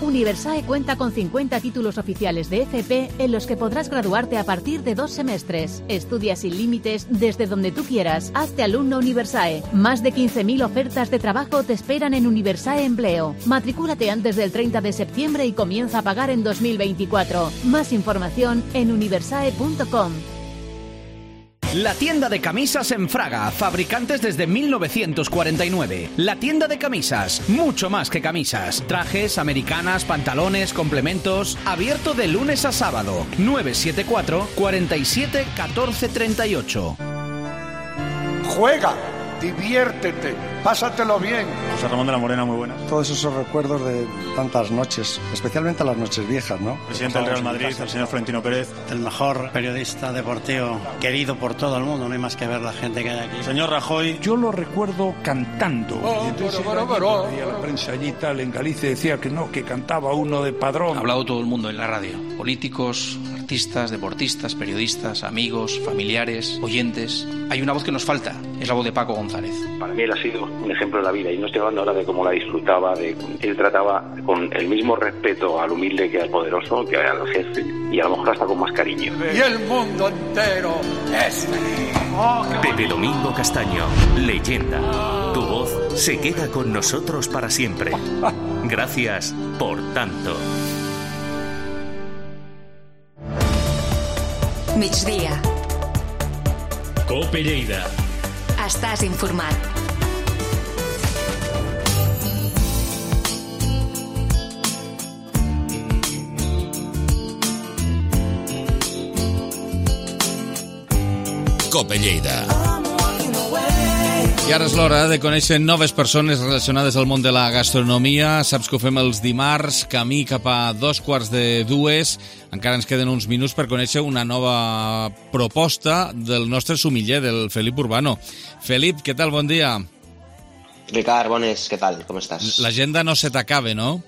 Universae cuenta con cincuenta títulos oficiales de F P en los que podrás graduarte a partir de dos semestres. Estudia sin límites desde donde tú quieras. Hazte alumno Universae. Más de quince mil ofertas de trabajo te esperan en Universae Empleo. Matricúlate antes del treinta de septiembre y comienza a pagar en dos mil veinticuatro. Más información en universae punto com. La tienda de camisas en Fraga, fabricantes desde mil novecientos cuarenta y nueve. La tienda de camisas, mucho más que camisas. Trajes, americanas, pantalones, complementos. Abierto de lunes a sábado. nueve siete cuatro, cuatro siete, uno cuatro tres ocho. Juega, diviértete, pásatelo bien. José Ramón de la Morena, muy buenas. Todos esos recuerdos de tantas noches, especialmente las noches viejas, ¿no? Presidente del Real Madrid, el señor Florentino Pérez. El mejor periodista deportivo, querido por todo el mundo, no hay más que ver la gente que hay aquí. Señor Rajoy. Yo lo recuerdo cantando. Oh, y entonces pero, pero, pero. y a la prensa allí tal, en Galicia decía que no, que cantaba uno de Padrón. Ha hablado todo el mundo en la radio. Políticos, artistas, deportistas, periodistas, amigos, familiares, oyentes. Hay una voz que nos falta, es la voz de Paco González. Para mí él ha sido un ejemplo de la vida y no estoy hablando ahora de cómo la disfrutaba, de él trataba con el mismo respeto al humilde que al poderoso, que al jefe y a lo mejor hasta con más cariño. Y el mundo entero es feliz. Oh, Pepe Domingo Castaño, leyenda. Tu voz se queda con nosotros para siempre. Gracias por tanto. Migdia. Cope Lleida. Estàs informat. Cope Lleida. I ara és l'hora de conèixer noves persones relacionades al món de la gastronomia. Saps que ho fem els dimarts, camí cap a dos quarts de dues. Encara ens queden uns minuts per conèixer una nova proposta del nostre sumiller, del Felip Urbano. Felip, què tal? Bon dia. Ricard, bones, què tal? Com estàs? L'agenda no se t'acabe, no?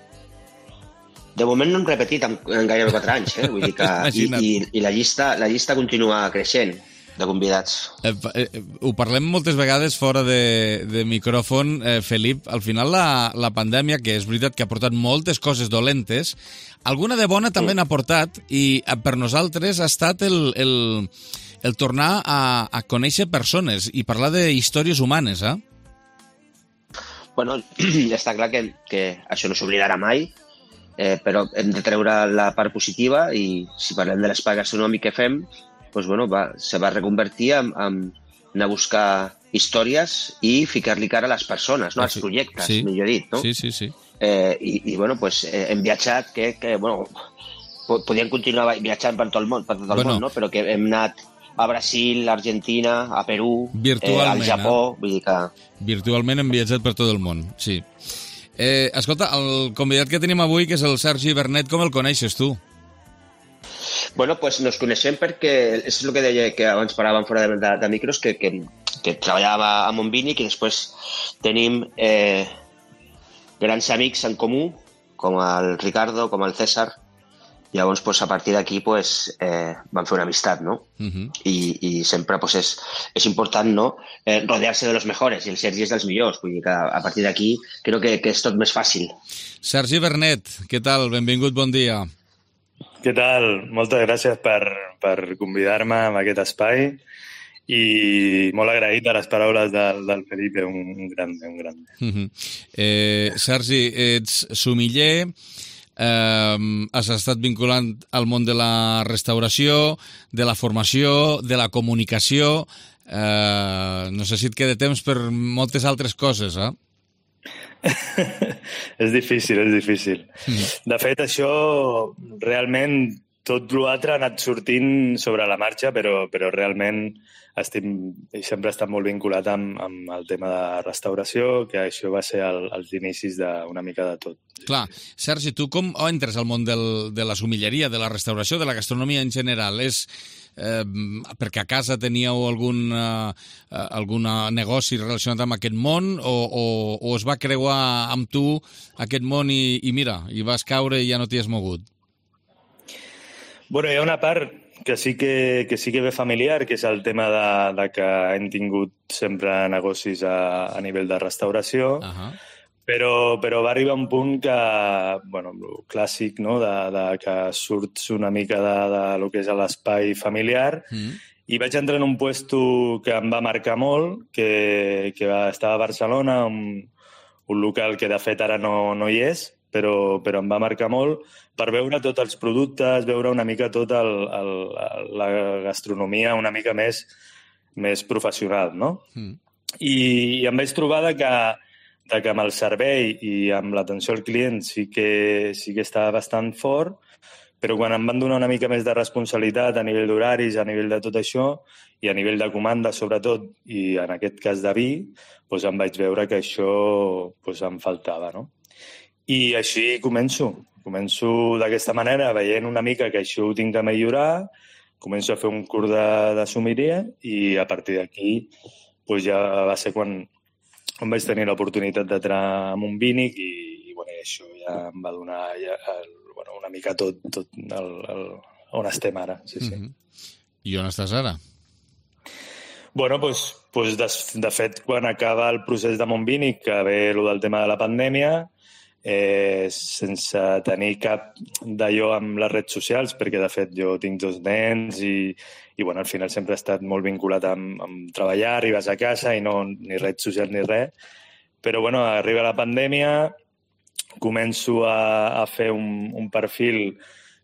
De moment no hem repetit en, en gairebé quatre anys, eh? Vull dir que, i, i, i la, llista, la llista continua creixent. de convidats. Eh, eh, ho parlem moltes vegades fora de, de micròfon, eh, Felip. Al final la, la pandèmia, que és veritat que ha portat moltes coses dolentes, alguna de bona també n'ha portat, i per nosaltres ha estat el, el, el tornar a, a conèixer persones i parlar de històries humanes, eh? Bueno, està clar que, que això no s'oblidarà mai, eh, però hem de treure la part positiva i si parlem de l'espai gastronòmic que fem, doncs, bueno, va, se va reconvertir en, en anar a buscar històries i ficar-li cara a les persones, no? Als projectes, sí, millor dit, no? Sí, sí, sí. Eh, i, i, bueno, pues, eh, hem viatjat, que, que bueno, podíem continuar viatjant per tot el món, per tot el Bueno. món, no? Però que hem anat a Brasil, a Argentina, a Perú, eh, Virtualment, al Japó, eh? vull dir que... Virtualment hem viatjat per tot el món, sí. Eh, escolta, el convidat que tenim avui, que és el Sergi Vernet, com el coneixes tu? Bueno, pues nos coneixem perquè és el que deia que abans paràvem fora de, de, de micros, que, que, que treballava a Montbinic i després tenim eh, grans amics en comú, com el Ricardo, com el César. Llavors, pues, a partir d'aquí pues, eh, vam fer una amistat, no? Uh-huh. I, i sempre pues, és, és important, no? Eh, rodear-se de los mejores, i el Sergi és dels millors. Vull dir que a partir d'aquí crec que, que és tot més fàcil. Sergi Vernet, què tal? Benvingut, bon dia. Què tal? Moltes gràcies per, per convidar-me a aquest espai i molt agraït a les paraules del, del Felipe, un, un gran, un gran. Uh-huh. eh, Sergi, ets sumiller, eh, has estat vinculant al món de la restauració, de la formació, de la comunicació, eh, no sé si et queda temps per moltes altres coses, eh? És difícil, és difícil. De fet, això realment tot l'altre ha anat sortint sobre la marxa, però, però realment estic, sempre he estat molt vinculat amb, amb el tema de restauració, que això va ser el, els inicis d'una mica de tot. Clar. Sergi, tu com entres al món del, de la sumilleria, de la restauració, de la gastronomia en general? És eh, perquè a casa teníeu algun, eh, algun negoci relacionat amb aquest món o, o, o es va creuar amb tu aquest món i, i mira, i vas caure i ja no t'hi has mogut? Bueno, hi ha una part que sí que, que sí que ve familiar, que és el tema de, de que hem tingut sempre negocis a, a nivell de restauració, uh-huh. però, però va arribar un punt que, bueno, el clàssic, no?, de, de que surts una mica de, de lo que és l'espai familiar, mm. i vaig entrar en un puesto que em va marcar molt, que, que va, estava a Barcelona, un, un local que de fet ara no, no hi és, però, però em va marcar molt, per veure tots els productes, veure una mica tota la gastronomia una mica més, més professional, no? Mm. I, I em vaig trobar de que, de que amb el servei i amb l'atenció al client sí que, sí que estava bastant fort, però quan em van donar una mica més de responsabilitat a nivell d'horaris, a nivell de tot això, i a nivell de comanda, sobretot, i en aquest cas de vi, doncs em vaig veure que això doncs em faltava, no? I així començo. Començo d'aquesta manera, veient una mica que això ho tinc que millorar, començo a fer un curs de, de sumilleria i a partir d'aquí doncs ja va ser quan, quan vaig tenir l'oportunitat d'entrar en un Montbinic i, i bueno, això ja em va donar ja, el, bueno, una mica tot, tot el, el, on estem ara. Sí, sí. Mm-hmm. I on estàs ara? Bueno, doncs, doncs de, de fet, quan acaba el procés de Montbinic, que ve el del tema de la pandèmia, Eh, sense tenir cap d'allò amb les redes socials, perquè de fet jo tinc dos nens i, i bueno, al final sempre he estat molt vinculat amb, amb treballar, arribes a casa i no ni redes socials ni res, però bueno, arriba la pandèmia, començo a, a fer un, un perfil,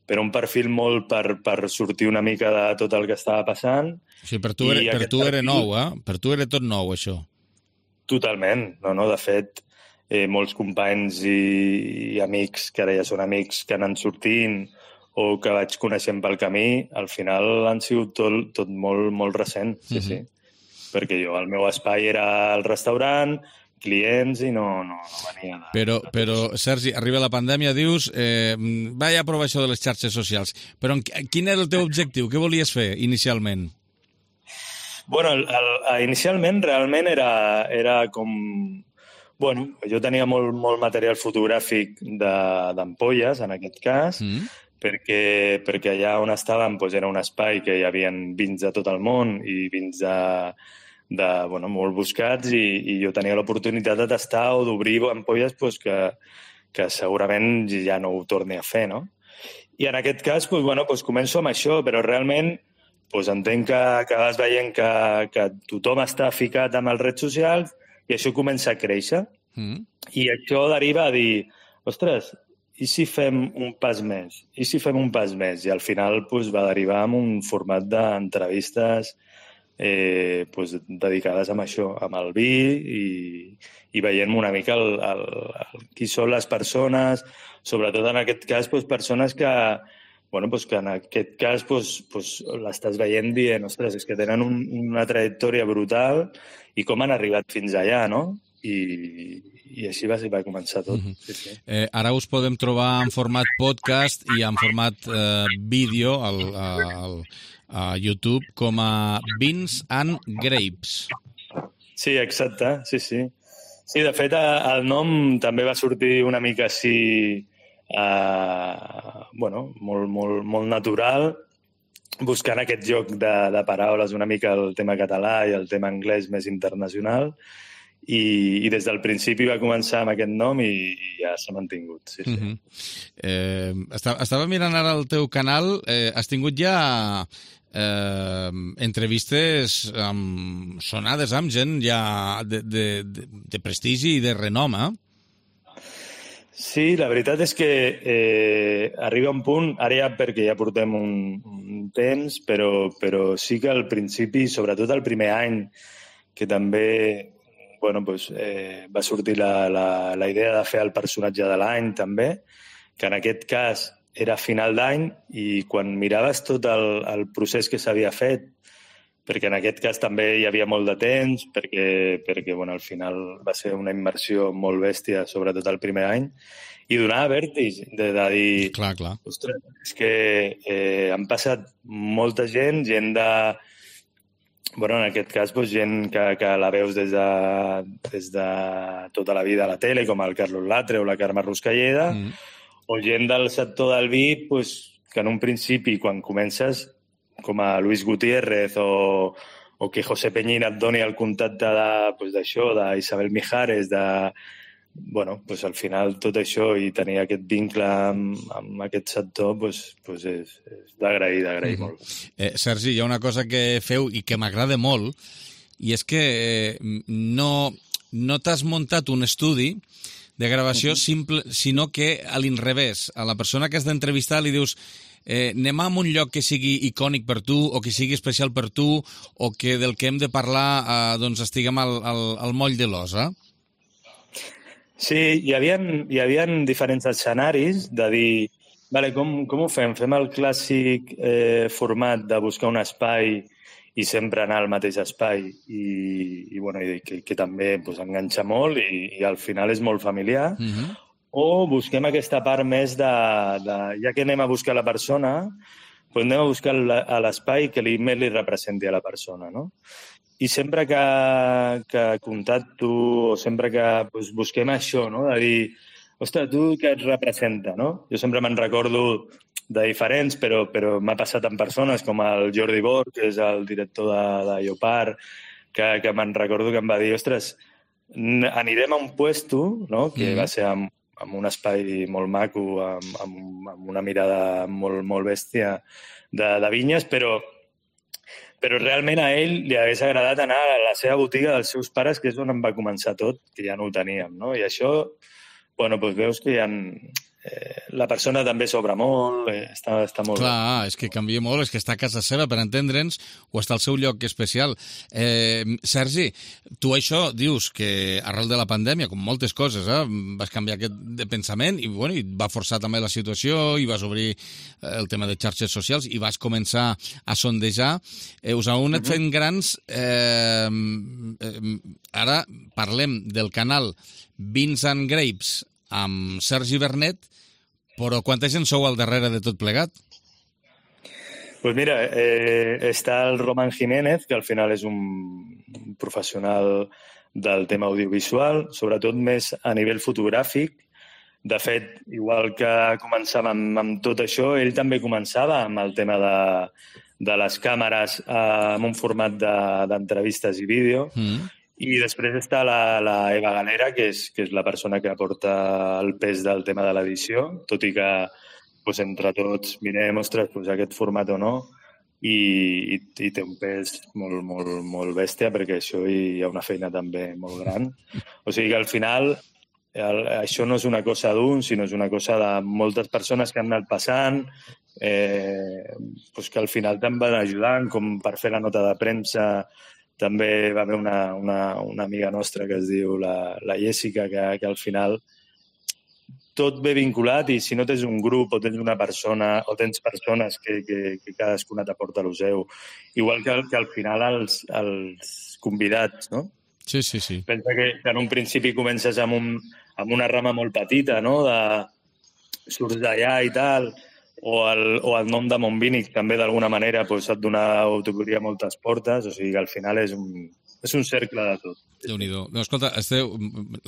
però un perfil molt per, per sortir una mica de tot el que estava passant. Sí, per tu era, per tu era perfil... nou, eh? Per tu era tot nou, això. Totalment, no, no, de fet Eh, molts companys i, i amics, que ara ja són amics, que han anat sortint o que vaig coneixent pel camí, al final han sigut tot, tot molt, molt recent, sí, mm-hmm. sí. Perquè jo, el meu espai era el restaurant, clients i no, no, no venia de... Però, però, Sergi, arriba la pandèmia, dius, eh, vaig a provar això de les xarxes socials, però quin era el teu objectiu? Què volies fer inicialment? Bueno, el, el, inicialment realment era, era com... Bueno, jo tenia molt, molt material fotogràfic d'ampolles, en aquest cas, mm. perquè, perquè allà on estàvem doncs, era un espai que hi havia vins de tot el món i vins de, de, bueno, molt buscats i, i jo tenia l'oportunitat de tastar o d'obrir ampolles doncs, que, que segurament ja no ho torni a fer, no? I en aquest cas, doncs, bueno, doncs començo amb això, però realment doncs entenc que, que vas veient que, que tothom està ficat amb els redes socials i això comença a créixer. Mm. I això deriva a dir, ostres, i si fem un pas més? I si fem un pas més? I al final doncs, va derivar en un format d'entrevistes eh, doncs, dedicades a això, amb el vi i, i veient una mica el, el, el, qui són les persones, sobretot en aquest cas doncs, persones que, bueno, doncs, que en aquest cas doncs, doncs, l'estàs veient dient, ostres, és que tenen un, una trajectòria brutal i com han arribat fins allà, no? I, i així va, va començar tot. Mm-hmm. Sí, sí. Eh, ara us podem trobar en format podcast i en format eh, vídeo al, al, a YouTube com a Vins and Grapes. Sí, exacte, sí, sí. Sí, de fet, el nom també va sortir una mica així, eh, bueno, molt, molt, molt natural, buscant aquest joc de, de paraules, una mica el tema català i el tema anglès més internacional, i, i des del principi va començar amb aquest nom i, i ja s'ha mantingut. Sí, sí. Uh-huh. eh, estava, estava mirant ara el teu canal, eh, has tingut ja eh, entrevistes amb, sonades amb gent ja de, de, de, de prestigi i de renom, eh? Sí, la veritat és que eh, arriba un punt, ara ja perquè ja portem un, un temps, però, però sí que al principi, sobretot el primer any, que també bueno, pues, eh, va sortir la, la, la idea de fer el personatge de l'any també, que en aquest cas era a final d'any i quan miraves tot el, el procés que s'havia fet, perquè en aquest cas també hi havia molt de temps, perquè, perquè bueno, al final va ser una immersió molt bèstia, sobretot el primer any, i donava vèrtig de, de dir... Clar, clar. Ostres, és que eh, han passat molta gent, gent de... Bueno, en aquest cas, doncs, gent que, que la veus des de, des de tota la vida a la tele, com el Carlos Latre o la Carme Ruscalleda, mm. o gent del sector del vi, doncs, que en un principi, quan comences, com a Luis Gutiérrez o, o que José Peñín et doni el contacte d'això, doncs, d'Isabel Mijares, de... Bueno, pues al final tot això i tenir aquest vincle amb, amb aquest sector pues, pues és, és d'agrair, d'agrair mm-hmm. molt. Eh, Sergi, hi ha una cosa que feu i que m'agrada molt i és que eh, no, no t'has muntat un estudi de gravació mm-hmm. simple, sinó que a l'inrevés, a la persona que has d'entrevistar li dius eh, anem a un lloc que sigui icònic per tu o que sigui especial per tu o que del que hem de parlar eh, doncs estiguem al, al, al moll de l'os, eh? Sí, hi havia, hi havia diferents escenaris de dir, vale, com, com ho fem? Fem el clàssic eh, format de buscar un espai i sempre anar al mateix espai i, i, bueno, i que, que també pues, enganxa molt i, i al final és molt familiar. Mm-hmm. O busquem aquesta part més de, de... Ja que anem a buscar la persona, pues anem a buscar a l'espai que li, més li representi a la persona, no? I sempre que, que contacto o sempre que pues, busquem això, no? De dir, ostres, tu què et representa, no? Jo sempre me'n recordo de diferents, però, però m'ha passat amb persones com el Jordi Bor, que és el director de, de Iopar, que, que me'n recordo que em va dir, ostres, anirem a un puesto, no? Que mm. va ser amb, amb un espai molt maco, amb, amb, amb una mirada molt, molt bèstia de, de vinyes, però però realment a ell li hagués agradat anar a la seva botiga dels seus pares, que és on em va començar tot, que ja no ho teníem, no? I això, bueno, doncs veus que hi ha... Eh, la persona també s'obre molt, eh, està, està molt Clar, bé. És que canvia molt, és que està a casa seva, per entendre'ns, o està al seu lloc especial. Eh, Sergi, tu això dius que arrel de la pandèmia, com moltes coses, eh, vas canviar aquest de pensament i, bueno, i va forçar també la situació i vas obrir el tema de xarxes socials i vas començar a sondejar. Eh, us heu anat fent grans. Eh, eh, ara parlem del canal Vins and Grapes amb Sergi Vernet, però quanta gent sou al darrere de tot plegat? Pues mira, eh, està el Roman Jiménez, que al final és un professional del tema audiovisual, sobretot més a nivell fotogràfic, De fet, igual que començava amb, amb tot això, ell també començava amb el tema de, de les càmeres eh, amb un format d'entrevistes de, i vídeo. Mm. I després està la, la Eva Galera, que és, que és la persona que aporta el pes del tema de l'edició, tot i que pues, entre tots mirem, ostres, pues, aquest format o no, i, i, i té un pes molt, molt, molt bèstia, perquè això hi ha una feina també molt gran. O sigui que al final el, això no és una cosa d'un, sinó és una cosa de moltes persones que han anat passant, eh, pues que al final te'n van ajudant, com per fer la nota de premsa. També va haver una, una, una amiga nostra que es diu la, la Jessica, que, que al final tot ve vinculat i si no tens un grup o tens una persona o tens persones que, que, que cadascuna t'aporta el seu, igual que, que al final els, els convidats, no? Sí, sí, sí. Pensa que, que en un principi comences amb, un, amb una rama molt petita, no? De surts d'allà i tal, o el, o el nom de Montbínic també d'alguna manera pues, et dona o t'obria moltes portes, o sigui que al final és un, és un cercle de tot. Déu-n'hi-do. No, escolta, esteu,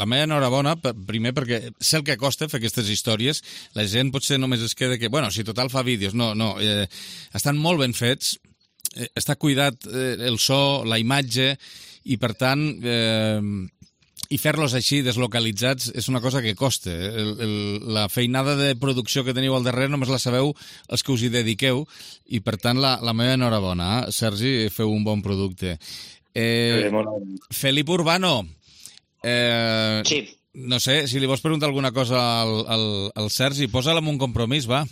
la meva enhorabona, primer perquè sé el que costa fer aquestes històries, la gent potser només es queda que, bueno, si total fa vídeos, no, no, eh, estan molt ben fets, eh, està cuidat eh, el so, la imatge, i per tant, eh, i fer-los així deslocalitzats és una cosa que costa. El, el, la feinada de producció que teniu al darrere només la sabeu els que us hi dediqueu, i per tant la, la meva enhorabona, eh? Sergi, feu un bon producte. Eh, Felip Urbano, eh, sí. No sé, si li vols preguntar alguna cosa al, al, al Sergi, posa-la en un compromís, va.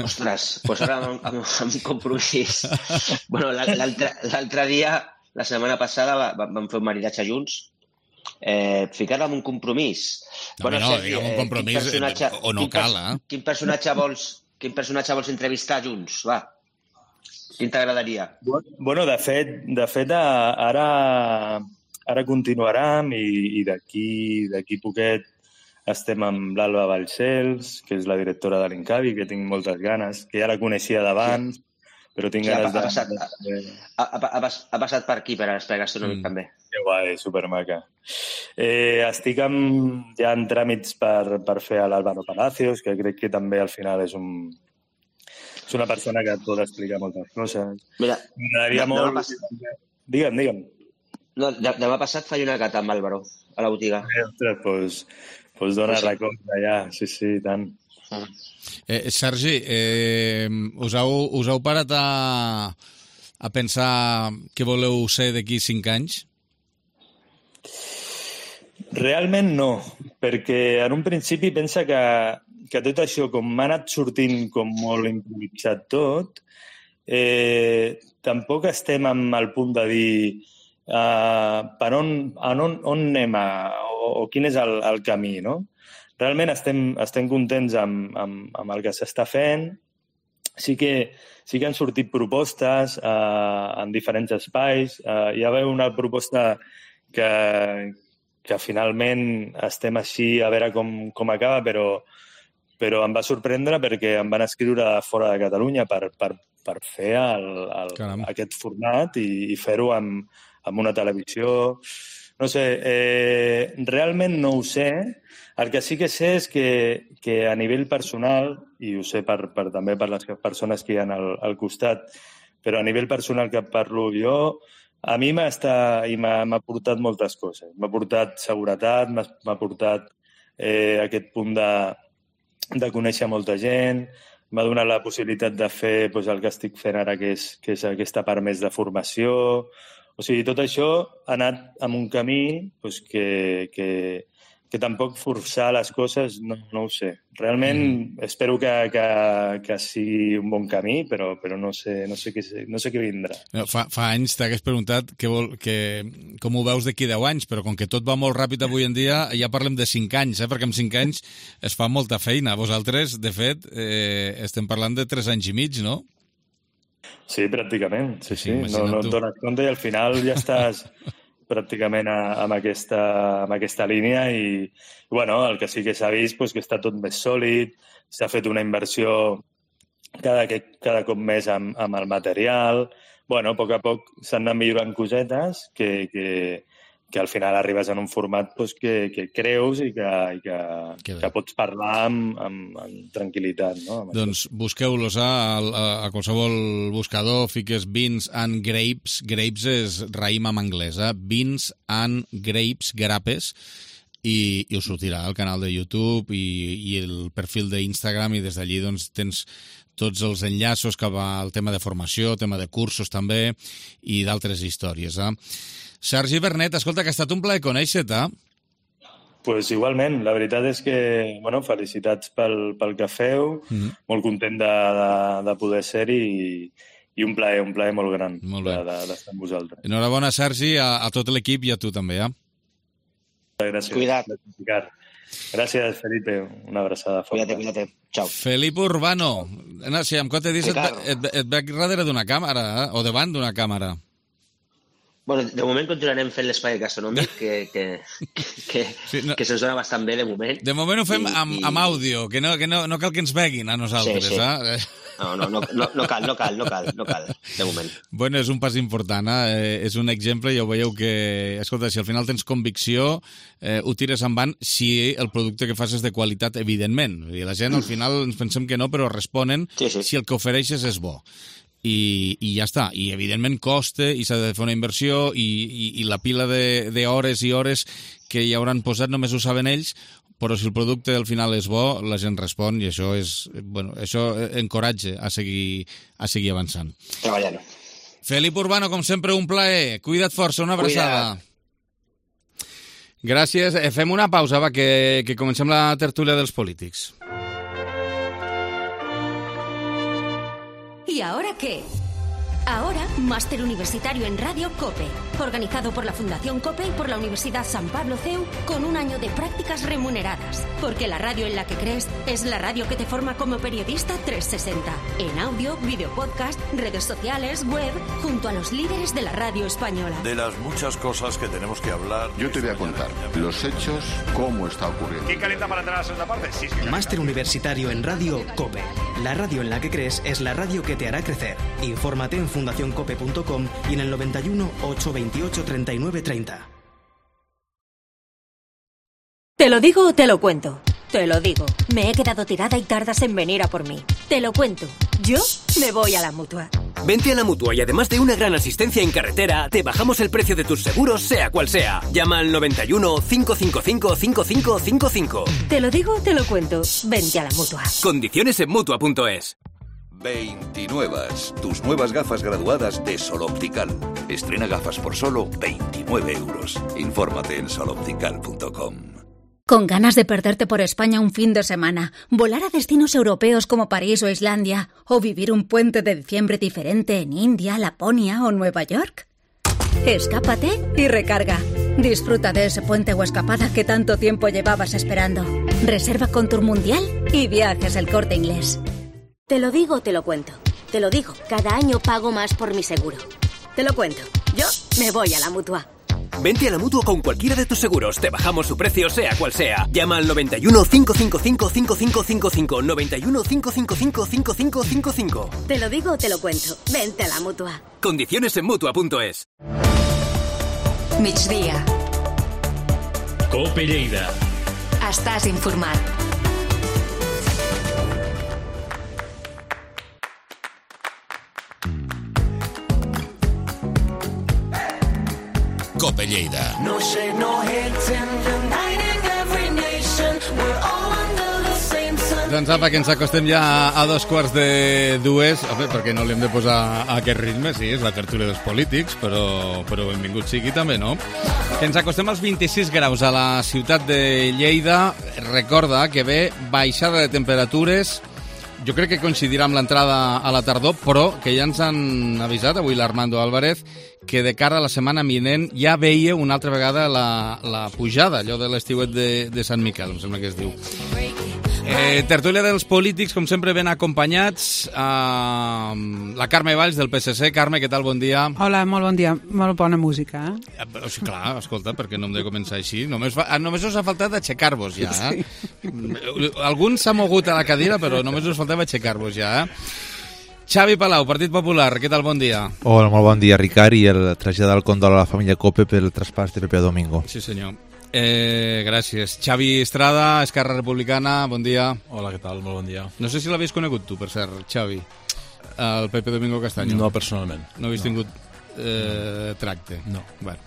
Ostres, pues ara amb, amb, amb un compromís. Bueno, l'altre dia, la setmana passada, va, vam fer un maridatge junts. Eh, Ficar-la en un compromís. No, bueno, no, Sergi, diguem un compromís eh, o no cal, eh? Quin personatge vols, quin personatge vols entrevistar junts, va? Quin t'agradaria? Bueno, de fet, de fet ara, ara continuarem i, i d'aquí d'aquí poquet estem amb l'Alba Balcells, que és la directora de l'Incavi, que tinc moltes ganes, que ja la coneixia d'abans, però tinc sí, ganes ha, ha de... Passat, ha, ha, ha passat per aquí, per explicar gastronòmic, mm. també. Que guai, supermaca. Eh, estic amb, ja en tràmits per, per fer a l'Álvaro Palacios, que crec que també al final és un... És una persona que et pot explicar moltes coses. Mira, m'agradaria molt... Pas... Digue'm, digue'm. No, demà passat faig una cata amb Álvaro, a la botiga. Eh, ostres, doncs, doncs dona sí. records allà, sí, sí, tant. Eh, Sergi, eh, us, heu, us heu parat a, a pensar què voleu ser d'aquí cinc anys? Realment no, perquè en un principi pensa que que tot això, com m'ha anat sortint com molt improvisat tot, eh, tampoc estem amb el punt de dir uh, per on, on, on anem a, o, o quin és el, el camí, no? Realment estem, estem contents amb, amb, amb el que s'està fent. Sí que, sí que han sortit propostes uh, en diferents espais. Uh, hi ha una proposta que, que finalment estem així a veure com, com acaba, però però em va sorprendre perquè em van escriure fora de Catalunya per, per, per fer el, el, aquest format i, i fer-ho amb, amb una televisió. No sé, eh, realment no ho sé. El que sí que sé és que, que a nivell personal, i ho sé per, per, també per les persones que hi ha al, al costat, però a nivell personal que parlo jo, a mi m'ha portat moltes coses. M'ha portat seguretat, m'ha portat eh, aquest punt de de conèixer molta gent, m'ha donat la possibilitat de fer doncs, el que estic fent ara, que és, que és aquesta part més de formació. O sigui, tot això ha anat en un camí doncs, que, que, que tampoc forçar les coses, no, no ho sé. Realment mm. espero que, que, que sigui un bon camí, però, però no sé, no sé, què, no sé què vindrà. Fa, fa anys t'hagués preguntat que vol, que, com ho veus d'aquí deu anys, però com que tot va molt ràpid avui en dia, ja parlem de cinc anys, eh? Perquè en cinc anys es fa molta feina. Vosaltres, de fet, eh, estem parlant de tres anys i mig, no? Sí, pràcticament. Sí, sí. No, no et dones compte i al final ja estàs... pràcticament a, amb, aquesta, amb aquesta línia i, i bueno, el que sí que s'ha vist doncs, que està tot més sòlid, s'ha fet una inversió cada, cada cop més amb, amb el material. Bueno, a poc a poc s'han anat millorant cosetes que, que, que al final arribes en un format pues, que, que creus i que, i que, que pots parlar amb, amb, amb tranquil·litat. No? Amb doncs busqueu-los a, a, a qualsevol buscador, fiques Beans and Grapes, Grapes és raïm en anglès, eh? Beans and Grapes, grapes, i, i us sortirà al canal de YouTube i, i el perfil d'Instagram i des d'allí doncs, tens tots els enllaços cap al tema de formació, tema de cursos també i d'altres històries. Eh? Sergi Vernet, escolta, que ha estat un plaer conèixer-te. Eh? Pues igualment, la veritat és que, bueno, felicitats pel, pel que feu, mm-hmm. molt content de, de, de poder ser-hi i, i un plaer, un plaer molt gran molt d'estar de, de, amb vosaltres. Enhorabona, Sergi, a, a tot l'equip i a tu també, eh? Gràcies. Cuida't. Gràcies, Felipe. Una abraçada forta. Cuida't, cuida't. Ciao. Felipe Urbano. No, si em compte dir, et, et, et veig darrere d'una càmera, eh? O davant d'una càmera. Bueno, de moment continuarem fent l'espai gastronòmic, que, que, que, sí, no. que se'ns dona bastant bé de moment. De moment ho fem I, amb, i... amb àudio, que, no, que no, no cal que ens veguin a nosaltres. Sí, sí. Eh? No, no, no, no, no cal, no cal, no cal, no cal, de moment. Bueno, és un pas important, eh? És un exemple, ja ho veieu que... Escolta, si al final tens convicció, eh, ho tires endavant si el producte que fas és de qualitat, evidentment. I la gent al final ens pensem que no, però responen sí, sí. si el que ofereixes és bo. I, i ja està, i evidentment costa i s'ha de fer una inversió i, i, i la pila d'hores i hores que hi hauran posat només ho saben ells, però si el producte al final és bo, la gent respon i això és, bueno, això encoratja a seguir, a seguir avançant. Treballant. Felipe Urbano, com sempre, un plaer. Cuida't força, una abraçada. Cuida't. Gràcies. Fem una pausa, va, que, que comencem la tertúlia dels polítics. ¿Y ahora qué? Ahora, Máster Universitario en Radio COPE, organizado por la Fundación COPE y por la Universidad San Pablo C E U, con un año de prácticas remuneradas. Porque la radio en la que crees es la radio que te forma como periodista trescientos sesenta. En audio, video podcast, redes sociales, web, junto a los líderes de la radio española. De las muchas cosas que tenemos que hablar... Yo te voy a contar los hechos, cómo está ocurriendo. ¿Quién calienta para entrar a la segunda parte? Sí, sí. Máster Universitario en Radio COPE. La radio en la que crees es la radio que te hará crecer. Infórmate en fundación cope punto com y en el noventa y uno, ocho veintiocho, treinta y nueve, treinta. ¿Te lo digo o te lo cuento? Te lo digo. Me he quedado tirada y tardas en venir a por mí. Te lo cuento. Yo me voy a la Mutua. Vente a la Mutua y además de una gran asistencia en carretera, te bajamos el precio de tus seguros, sea cual sea. Llama al noventa y uno, cinco cinco cinco, cinco cinco cinco cinco. Te lo digo o te lo cuento. Vente a la Mutua. Condiciones en mutua punto es. veintinuevas, tus nuevas gafas graduadas de Sol Optical. Estrena gafas por solo veintinueve euros. Infórmate en sol optical punto com. ¿Con ganas de perderte por España un fin de semana, volar a destinos europeos como París o Islandia, o vivir un puente de diciembre diferente en India, Laponia o Nueva York? Escápate y recarga. Disfruta de ese puente o escapada que tanto tiempo llevabas esperando. Reserva con Tour Mundial y Viajes El Corte Inglés. Te lo digo o te lo cuento. Te lo digo, cada año pago más por mi seguro. Te lo cuento. Yo me voy a la Mutua. Vente a la Mutua con cualquiera de tus seguros. Te bajamos su precio, sea cual sea. Llama al noventa y uno, cinco cinco cinco, cinco cinco cinco cinco. noventa y uno, cinco cinco cinco, cinco cinco cinco cinco. Te lo digo o te lo cuento. Vente a la Mutua. Condiciones en mutua punto es. Migdia. Cope Lleida. Estàs informat. Cope Lleida. No shade, no hate, uniting every nation. We're all under the same sun. Doncs apa, que ens acostem ja a dos quarts de dues, home, perquè no li hem de posar a aquest ritme, sí, és la tertúlia dels polítics, però, però benvingut sigui també, no? Que ens acostem als vint-i-sis graus a la ciutat de Lleida. Recorda que ve baixada de temperatures, jo crec que coincidirà amb l'entrada a la tardor, però que ja ens han avisat avui l'Armando Álvarez que de cara a la setmana vinent ja veia una altra vegada la, la pujada, allò de l'estiuet de, de Sant Miquel, em sembla que es diu. Eh, tertúlia dels polítics, com sempre, ben acompanyats. Uh, la Carme Valls, del P S C. Carme, què tal? Bon dia. Hola, molt bon dia. Molt bona música, eh? eh sí, clar, escolta, perquè no hem de començar així. Només, fa, només us ha faltat aixecar-vos ja, eh? Sí. Algun s'ha mogut a la cadira, però només us faltava aixecar-vos ja, eh? Xavi Palau, Partit Popular, què tal? Bon dia. Hola, molt bon dia, Ricard, i el traslladar el condol a la família Cope pel traspàs de Pepe Domingo. Sí, senyor. Eh, gràcies. Xavi Estrada, Esquerra Republicana, bon dia. Hola, què tal? Molt bon dia. No sé si l'havies conegut tu, per cert, Xavi, el Pepe Domingo Castaño. No, personalment. No havies no. tingut eh, tracte? No. Bueno.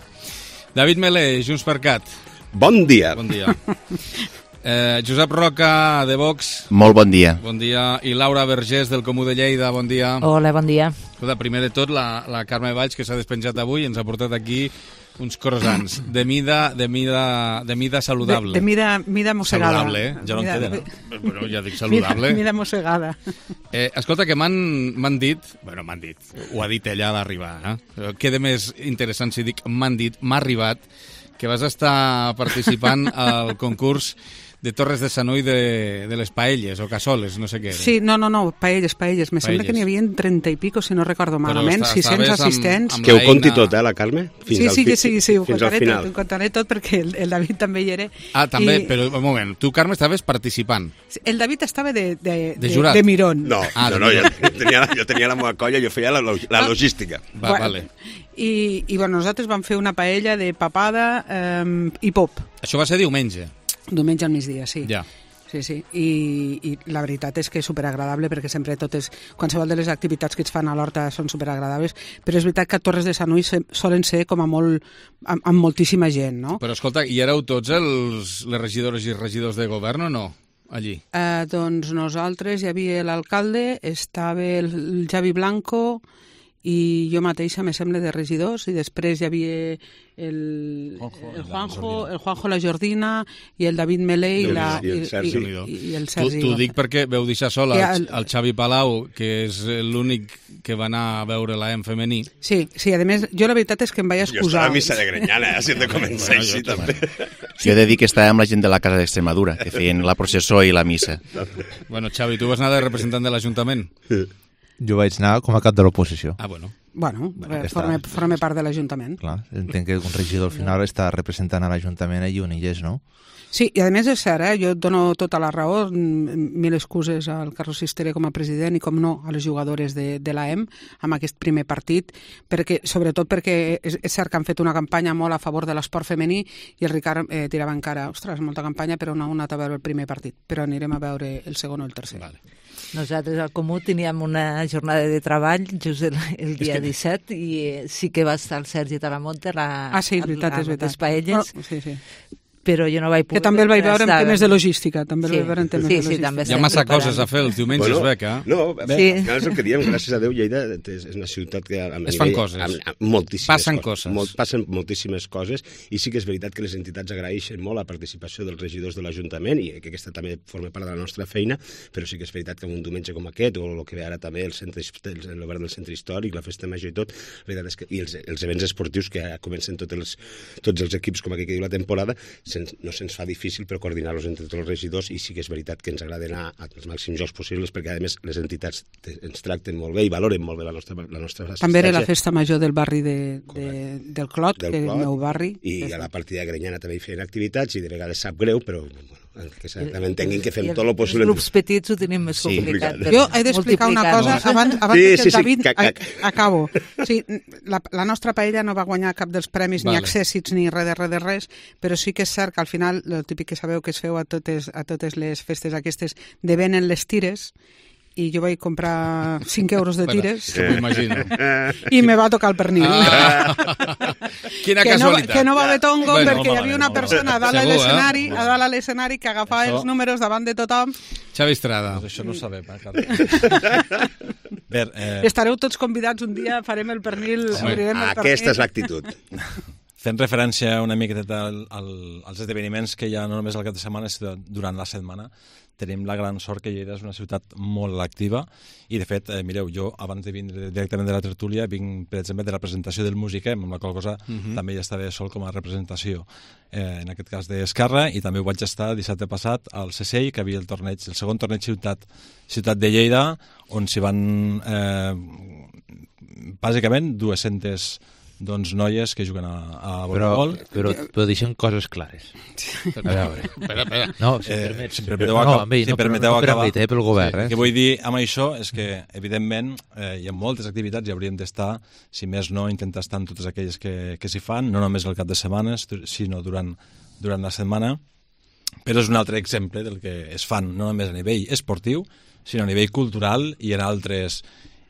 David Melé, Junts per Cat. Bon dia. Bon dia. Eh, Josep Roca, de Vox. Molt bon dia. Bon dia. I Laura Vergés, del Comú de Lleida, bon dia. Hola, bon dia. Escolta, primer de tot, la, la Carme Valls, que s'ha despenjat avui, ens ha portat aquí uns croissants de mida, de mida, de mida saludable. De, de mida, mida mossegada. Saludable, eh? Ja no mida, en queda, no? Bueno, ja dic saludable. Mida, mida mossegada. Eh, escolta, que m'han dit, bueno, m'han dit, ho ha dit ella a l'arribar, eh? Queda més interessant si dic m'han dit, m'ha arribat, que vas estar participant al concurs de Torres de Sanuy de, de les paelles o cassoles, no sé què era. Sí, no, no, no, paelles, paelles. Me paelles. Sembla que n'hi havia trenta i pico, si no recordo malament, sis cents assistents. Amb, amb que ho conti tot, eh, la Carme? Fins sí, sí, al, sí, sí, sí, ho contaré tot, ho contaré tot perquè el, el David també hi era. Ah, també, I... però un moment, tu, Carme, estaves participant. El David estava de, de, de, jurat. de, de mirón. No, ah, no, no, jo tenia, jo tenia la meva colla, jo feia la, la logística. Va, bueno, vale. I, I, bueno, nosaltres vam fer una paella de papada eh, i pop. Això va ser diumenge. Diumenge al migdia, sí. Ja. Sí, sí, I, i la veritat és que és superagradable perquè sempre totes, qualsevol de les activitats que es fan a l'horta són superagradables, però és veritat que a Torres de Sanuy solen ser com a molt, amb, amb moltíssima gent, no? Però escolta, i éreu tots els, les regidores i regidors de govern o no? Allí? Eh, doncs nosaltres hi havia l'alcalde, estava el, el Javi Blanco i jo mateixa, me sembla, de regidors, i després hi havia el Juanjo, el Juanjo, el Juanjo la Jordina i el David Melé i, la, i, el Sergi. I, i, i el Sergi. T'ho dic perquè veu deixar sol el, el Xavi Palau, que és l'únic que va anar a veure l'A E M femení. Sí, sí, a més, jo la veritat és que em vaig excusar. Jo estava a missa de Grenyana, eh, si hem de començar bueno, així, també. Jo he de dir que estava amb la gent de la Casa d'Extremadura, que feien la processó i la missa. Bueno, Xavi, tu vas anar de representant de l'Ajuntament? Jo vaig anar com a cap de l'oposició. Ah, bueno. Bueno, bueno forma, forma part de l'Ajuntament. Clar, entenc que un regidor al final està representant a l'Ajuntament allí on hi és, no? Sí, i a més és cert, eh? Jo et dono tota la raó, mil excuses al Carlos Sistere com a president i com no a les jugadores de, de l'A E M amb aquest primer partit, perquè, sobretot perquè és, és cert que han fet una campanya molt a favor de l'esport femení i el Ricard eh, tirava encara, ostres, molta campanya, però no ha anat a veure el primer partit, però anirem a veure el segon o el tercer. Vale. Nosaltres al Comú teníem una jornada de treball just el, el dia que... disset i eh, sí que va estar el Sergi Talamonte a, ah, sí, veritat, a, a, és veritat. les paelles. Oh, sí, sí. Però jo no vaig poder... Que també el vaig veure en temes de logística, també el sí, vaig veure en temes sí, de logística. Sí, també hi ha massa preparant. Coses a fer els diumenges, bueno, Beca. Eh? No, bé, sí. és el que diem, gràcies a Déu, Lleida és una ciutat que... Amb es fan nivell, coses. Amb, amb moltíssimes passen coses. coses. Molt, passen moltíssimes coses i sí que és veritat que les entitats agraeixen molt la participació dels regidors de l'Ajuntament i que aquesta també forma part de la nostra feina, però sí que és veritat que un diumenge com aquest, o el que ve ara també el, centre, el, el govern del centre històric, la festa major i tot, la veritat és que, i els, els events esportius que ja comencen tots els, tots els equips com aquí que diu la temporada, sen, no se'ns fa difícil però coordinar-los entre tots els regidors i sí que és veritat que ens agrada anar als màxims jocs possibles perquè a més les entitats ens tracten molt bé i valoren molt bé la nostra, la nostra assistència. També era la festa major del barri de, de, del Clot, del que és Clot, el meu barri. I a la partida de Grenyana també hi feien activitats i de vegades sap greu, però bueno, que també entenguin que fem tot el possible. Els grups petits ho tenim més sí, complicat. Jo he d'explicar una cosa abans, abans sí, que el David... Sí, sí, que... Acabo. Sí, la, la nostra paella no va guanyar cap dels premis, vale. Ni accèssits, ni res de res de res, però sí que és cert que al final, el típic que sabeu que es feu a totes, a totes les festes aquestes, de venen les tires, i jo vaig comprar cinc euros de tires sí, m'ho imagino. I me va tocar el pernil. Ah. Quina que casualitat. No, que no va haver tongo bueno, perquè hi havia una persona a dalt a l'escenari eh? a dalt a l'escenari que agafava això... els números davant de tothom. Xavi Estrada. Pues això no ho sabem, eh, Carles. Ver, eh... Estareu tots convidats un dia, farem el pernil, obrirem el pernil. Aquesta és l'actitud. Fent referència una miqueta al, al, als esdeveniments que hi ha no només al cap de setmana, sinó durant la setmana, tenim la gran sort que Lleida és una ciutat molt activa i, de fet, eh, mireu, jo abans de vindre directament de la tertúlia vinc, per exemple, de la presentació del Musiquem, amb la qual cosa uh-huh. també ja estava sol com a representació, eh, en aquest cas d'Esquerra, i també ho vaig estar dissabte passat al C C I, que havia el torneig, el segon torneig ciutat, ciutat de Lleida, on s'hi van, eh, bàsicament, dues-centes doncs, noies que juguen a, a Però, voleibol. però, però deixem coses clares. A veure. Espera, espera. No, si Eh, permets. si em permeteu no, acabar- amb ell, si em no, però permeteu no per acabar. amb ell, eh, pel govern. Sí, Eh? el que vull dir amb això és que, evidentment, eh, hi ha moltes activitats i hauríem d'estar, si més no, intentar estar en totes aquelles que, que s'hi fan, no només el cap de setmana, sinó durant, durant la setmana. Però és un altre exemple del que es fan, no només a nivell esportiu, sinó a nivell cultural i en altres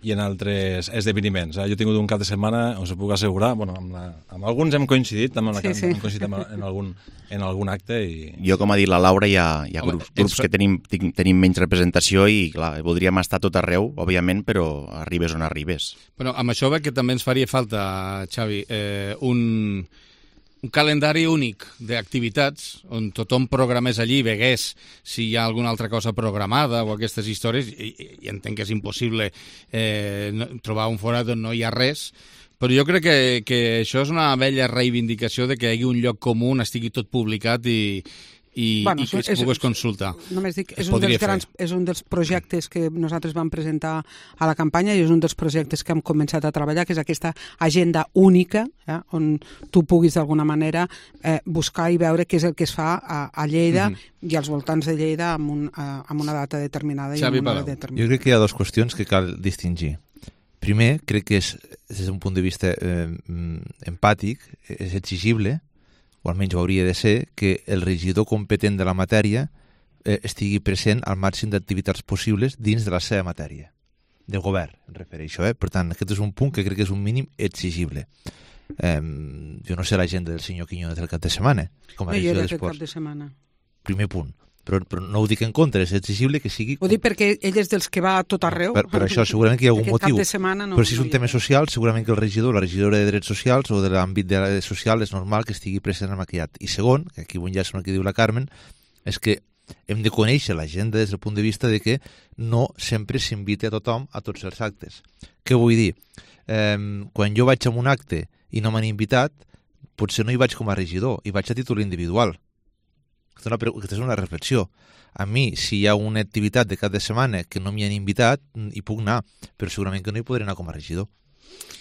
i en altres esdeveniments. Eh? Jo he tingut un cap de setmana, us ho puc assegurar, bueno, amb, la, amb alguns hem coincidit, també amb la Sí, sí. hem coincidit en, en, algun, en algun acte. I... Jo, com ha dit la Laura, hi ha, hi ha Home, grups, grups ens- que tenim, tin- tenim menys representació i, clar, voldríem estar a tot arreu, òbviament, però arribes on arribes. Bueno, amb això veig que també ens faria falta, Xavi, eh, un, un calendari únic d'activitats on tothom programés allí i vegués si hi ha alguna altra cosa programada o aquestes històries, i, i entenc que és impossible eh, no, trobar un forat on no hi ha res, però jo crec que, que això és una vella reivindicació de que hi hagi un lloc comú on estigui tot publicat i, i, Bueno, i que és- es pogués consultar. Només dic, Es és un, podria dels grans, és un dels projectes que nosaltres vam presentar a la campanya i és un dels projectes que hem començat a treballar, que és aquesta agenda única, eh, on tu puguis d'alguna manera eh, buscar i veure què és el que es fa a, a Lleida Mhm. i als voltants de Lleida amb, un, a, amb una data determinada. i Xavi amb una Palau. hora determinada. Jo crec que hi ha dues qüestions que cal distingir. Primer, crec que és, des d'un punt de vista eh, empàtic, és exigible, o almenys ho hauria de ser, que el regidor competent de la matèria eh, estigui present al màxim d'activitats possibles dins de la seva matèria. De govern, em refereixo. Eh? Per tant, aquest és un punt que crec que és un mínim exigible. Eh, jo no sé l'agenda del senyor Quiñones del cap de setmana, com a No hi regidor era aquest d'esports. cap de setmana. Primer punt. Però, però no ho dic en contra, és exigible que sigui... Ho dic perquè ell és dels que va a tot arreu. Per, per això segurament que hi ha algun Aquest motiu. cap de setmana no, però si és no un hi tema era. social, segurament que el regidor, la regidora de drets socials o de l'àmbit de la social és normal que estigui present en aquest acte. I segon, que aquí ho enllaça amb el que diu la Carmen, és que hem de conèixer l'agenda des del punt de vista de que no sempre s'invita a tothom a tots els actes. Què vull dir? Eh, quan jo vaig a un acte i no m'han invitat, potser no hi vaig com a regidor, hi vaig a títol individual. Aquesta és una, pre- aquesta és una reflexió. A mi, si hi ha una activitat de cap de setmana que no m'hi han invitat, hi puc anar, però segurament que no hi podré anar com a regidor.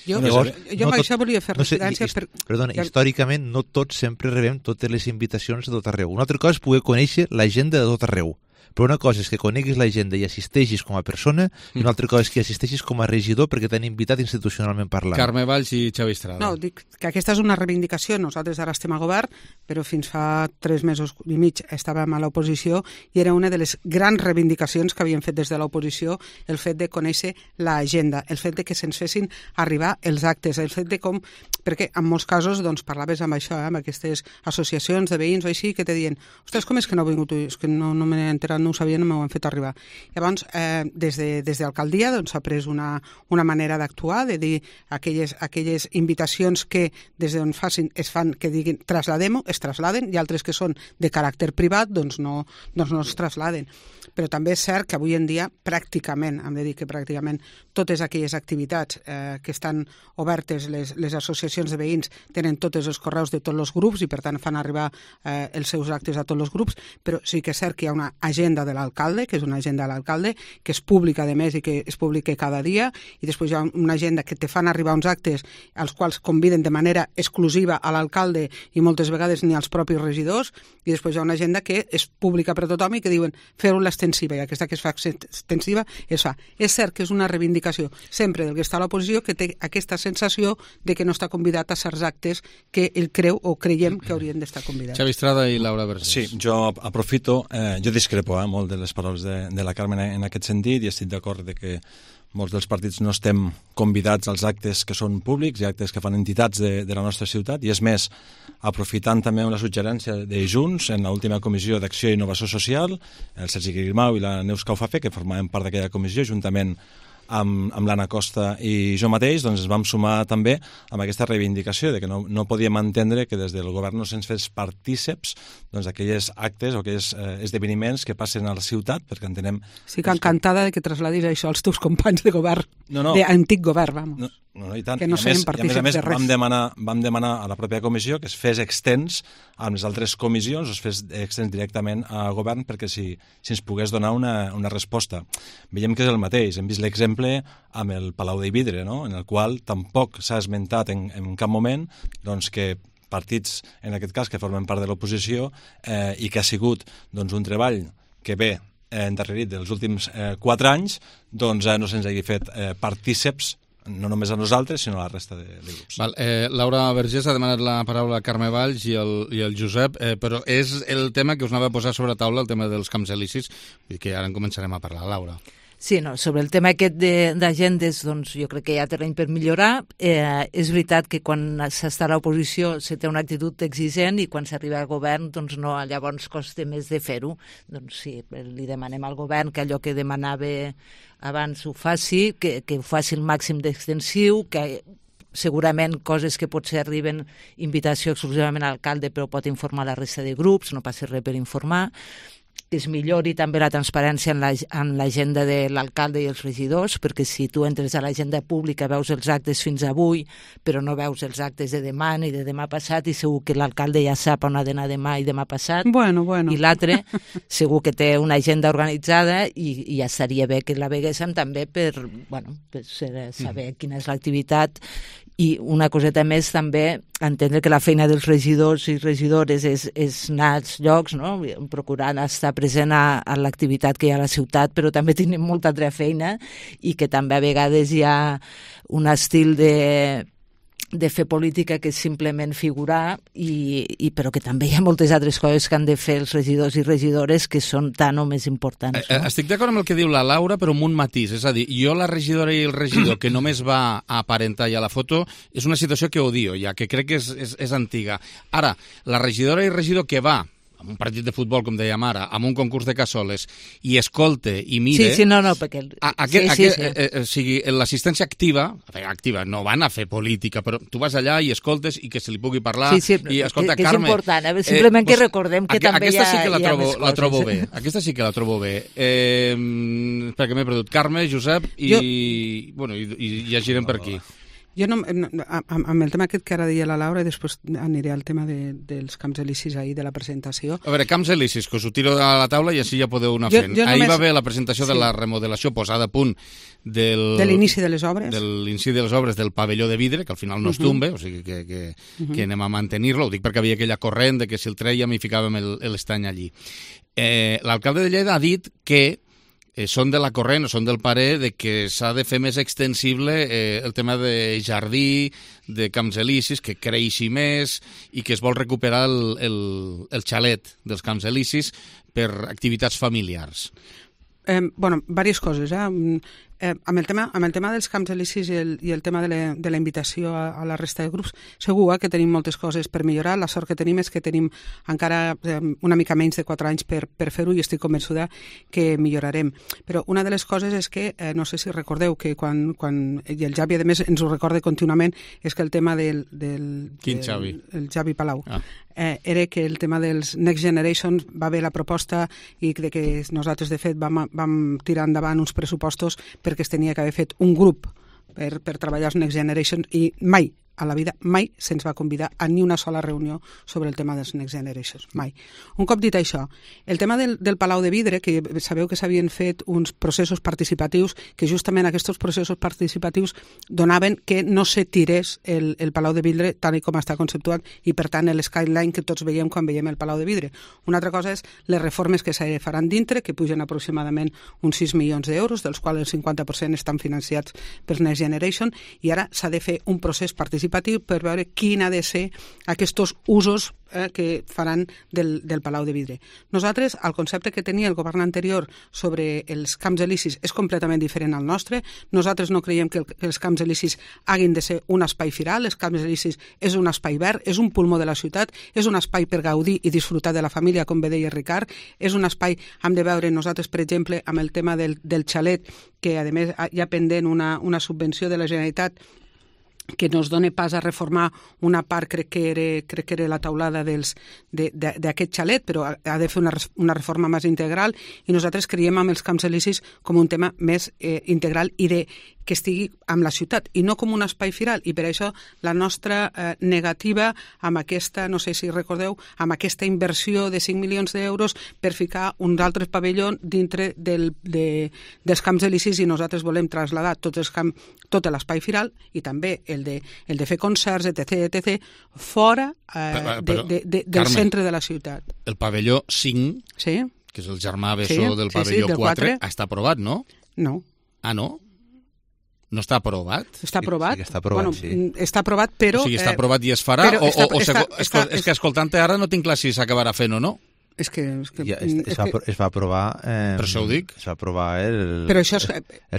Jo, Llavors, jo amb això volia fer no sé, referència... his- per... Perdona, Ja- històricament no tots sempre rebem totes les invitacions de tot arreu. Una altra cosa és poder conèixer l'agenda de tot arreu. Però una cosa és que coneguis l'agenda i assisteixis com a persona i una altra cosa és que assisteixis com a regidor perquè t'han invitat institucionalment parlant. Carme Valls i Xavi Estrada. No, dic que aquesta és una reivindicació. Nosaltres ara estem a govern, però fins fa tres mesos i mig estàvem a l'oposició i era una de les grans reivindicacions que havíem fet des de l'oposició, el fet de conèixer l'agenda, el fet de que se'ns fessin arribar els actes, el fet de com... Perquè en molts casos doncs, parlaves amb això, eh, amb aquestes associacions de veïns o així, que te diuen, ostres, com és que no ha vingut? És que no, no m'he enterat, no ho sabia, no m'ho han fet arribar. Llavors, eh, des de, des d'alcaldia doncs, s'ha pres una, una manera d'actuar, de dir aquelles, aquelles invitacions que des d'on facin, es fan, que diguin trasladem-ho, es trasladen, i altres que són de caràcter privat, doncs no, doncs no es trasladen. Però també és cert que avui en dia pràcticament, hem de dir que pràcticament totes aquelles activitats eh, que estan obertes, les, les associacions de veïns tenen tots els correus de tots els grups i per tant fan arribar eh, els seus actes a tots els grups, però sí que és cert que hi ha una agenda de l'alcalde, que és una agenda de l'alcalde, que és pública a més i que es publica cada dia, i després hi ha una agenda que te fan arribar uns actes als quals conviden de manera exclusiva a l'alcalde i moltes vegades ni als propis regidors, i després hi ha una agenda que és pública per a tothom i que diuen fer-ho l'extensiva, i aquesta que es fa extensiva es fa. És cert que és una reivindicació sempre del que està a l'oposició, que té aquesta sensació de que no està convidat a certs actes que ell creu o creiem que haurien d'estar convidats. Xavi Estrada i Laura Vergés. Sí, jo aprofito, eh, jo discrepo eh, molt de les paraules de, de la Carmen en aquest sentit i estic d'acord de que molts dels partits no estem convidats als actes que són públics i actes que fan entitats de, de la nostra ciutat, i és més, aprofitant també una suggerència de Junts en l'última comissió d'Acció i Innovació Social, el Sergi Grimau i la Neus Caufafe, que formaven part d'aquella comissió, juntament amb, amb l'Anna Costa i jo mateix, doncs ens vam sumar també amb aquesta reivindicació de que no, no podíem entendre que des del govern no se'ns fes partíceps doncs, aquells actes o aquells eh, esdeveniments que passen a la ciutat, perquè entenem... Estic encantada de que trasladis això als teus companys de govern, no, no. d'antic govern, vamos. No, no, i tant. Que no I a més, serem partíceps i a més, a de més res. vam demanar, vam demanar a la pròpia comissió que es fes extens amb les altres comissions, o es fes extens directament a govern perquè si, si ens pogués donar una, una resposta. Veiem que és el mateix. Hem vist l'exemple exemple, amb el Palau de Vidre, no? En el qual tampoc s'ha esmentat en, en cap moment doncs, que partits, en aquest cas, que formen part de l'oposició eh, i que ha sigut doncs, un treball que ve eh, endarrerit dels últims eh, quatre anys, doncs eh, no se'ns hagi fet eh, partíceps no només a nosaltres, sinó a la resta de, de grups. Val, eh, Laura Vergés ha demanat la paraula a Carme Valls i el, i el Josep, eh, però és el tema que us anava a posar sobre la taula, el tema dels camps elisis, i que ara en començarem a parlar. Laura. Sí, no, sobre el tema aquest d'agendes, doncs jo crec que hi ha terreny per millorar. Eh, és veritat que quan s'està a l'oposició se té una actitud exigent i quan s'arriba al govern, doncs no, llavors costa més de fer-ho. Doncs sí, li demanem al govern que allò que demanava abans ho faci, que, que ho faci el màxim d'extensiu, que segurament coses que potser arriben invitació exclusivament a l'alcalde però pot informar la resta de grups, no passa res per informar, que es millori també la transparència en l'agenda de l'alcalde i els regidors, perquè si tu entres a l'agenda pública veus els actes fins avui, però no veus els actes de demà ni de demà passat, i segur que l'alcalde ja sap on ha d'anar demà i demà passat. Bueno, bueno. I l'altre segur que té una agenda organitzada i, i ja estaria bé que la veguéssim també per, bueno, per saber quina és l'activitat. I una coseta més també, entendre que la feina dels regidors i regidores és, és anar als llocs, no? Procurant estar present a, a l'activitat que hi ha a la ciutat, però també tenim molta altra feina i que també a vegades hi ha un estil de, de fer política que és simplement figurar, i, i, però que també hi ha moltes altres coses que han de fer els regidors i regidores que són tan o més importants. No? Estic d'acord amb el que diu la Laura, però amb un matís. És a dir, jo la regidora i el regidor que només va a aparentar ja la foto és una situació que odio ja, que crec que és, és, és antiga. Ara, la regidora i regidor que va amb un partit de futbol, com dèiem ara, amb un concurs de cassoles, i escolte i mire... Sí, sí, no, no, perquè... A, aquest, sí, aquest, sí, sí. Eh, eh, sigui, l'assistència activa, activa, no van a fer política, però tu vas allà i escoltes i que se li pugui parlar, sí, sí, i escolta, que, que Carme... és important, eh? Simplement eh, que recordem que aqu també aquesta hi ha, sí que la hi ha trobo, més coses. La trobo bé, aquesta sí que la trobo bé. Eh, perquè m'he perdut. Carme, Josep, i, jo... bueno, i, i ja girem per aquí. Jo no, amb el tema aquest que ara deia la Laura, i després aniré al tema de, dels camps elisis ahir, de la presentació. A veure, camps elisis, que us ho tiro a la taula i així ja podeu anar jo, fent. Jo ahir només... va haver la presentació sí. de la remodelació posada a punt del... De l'inici de les obres. De l'inici de les obres del pavelló de vidre, que al final no es tombe, uh -huh. o sigui que, que, uh -huh. que anem a mantenir-lo. Ho dic perquè havia aquella corrent de que si el trèiem i ficàvem l'estany allí. Eh, L'alcalde de Lleida ha dit que Eh, són de la corrent o són del parer de que s'ha de fer més extensible eh, el tema de jardí, de camps elisis, que creixi més i que es vol recuperar el, el, el xalet dels camps elisis per activitats familiars. Eh, bueno, diverses coses. Eh? Eh, amb, el tema, amb el tema dels camps elisis i el, i el tema de la, de la invitació a, a la resta de grups, segur eh, que tenim moltes coses per millorar. La sort que tenim és que tenim encara eh, una mica menys de quatre anys per, per fer-ho, i estic convençuda que millorarem. Però una de les coses és que, eh, no sé si recordeu, que quan, quan i el Javi, a més, ens ho recorda contínuament, és que el tema del... del Quin del, Javi? El Javi Palau. Ah. Eh, era que el tema dels Next Generation va haver la proposta i de que nosaltres, de fet, vam, vam tirar endavant uns pressupostos perquè es tenia que haver fet un grup per, per treballar els Next Generation, i mai a la vida, mai se'ns va convidar a ni una sola reunió sobre el tema dels Next Generations, mai. Un cop dit això, el tema del, del Palau de Vidre, que sabeu que s'havien fet uns processos participatius, que justament aquests processos participatius donaven que no se tirés el, el Palau de Vidre tal com està conceptuat, i per tant el skyline que tots veiem quan veiem el Palau de Vidre. Una altra cosa és les reformes que se faran dintre, que pugen aproximadament uns sis milions d'euros, dels quals el cinquanta per cent estan financiats per Next Generation, i ara s'ha de fer un procés participatiu per veure quin ha de ser aquests usos eh, que faran del, del Palau de Vidre. Nosaltres, el concepte que tenia el govern anterior sobre els camps elisis és completament diferent al nostre. Nosaltres no creiem que, el, que els camps elisis hagin de ser un espai firal. Els camps elisis és un espai verd, és un pulmó de la ciutat, és un espai per gaudir i disfrutar de la família, com bé deia Ricard, és un espai, hem de veure nosaltres, per exemple, amb el tema del, del xalet, que a més hi ha pendent una, una subvenció de la Generalitat que nos dona pas a reformar una part, crec que era, crec que era la taulada d'aquest xalet, però ha de fer una, una reforma més integral, i nosaltres creiem amb els camps elisis com un tema més eh, integral i de que estigui amb la ciutat i no com un espai firal, i per això la nostra eh, negativa amb aquesta, no sé si recordeu, amb aquesta inversió de cinc milions d'euros per ficar un altre pavelló dintre del, de, dels camps d'Elisis, i nosaltres volem traslladar tot, els camp, tot l'espai firal i també el de, el de fer concerts, etc, etc, fora eh, però, de, de, de, del Carme, centre de la ciutat. El pavelló cinc, sí? que és el germà bessó sí, del sí, pavelló sí, del quatre, quatre, està aprovat, no? No. Ah, no? No està aprovat? Està aprovat. Sí, sí està aprovat, bueno, sí. Està aprovat, però... O sigui, està aprovat i es farà? Però o, està, o, o està, està, està, és que escoltant-te ara no tinc clar si s'acabarà fent o no. És que... És que, ja, es, es, és va, que... es va aprovar... Eh, per això ho dic. Es va aprovar el... Però això és...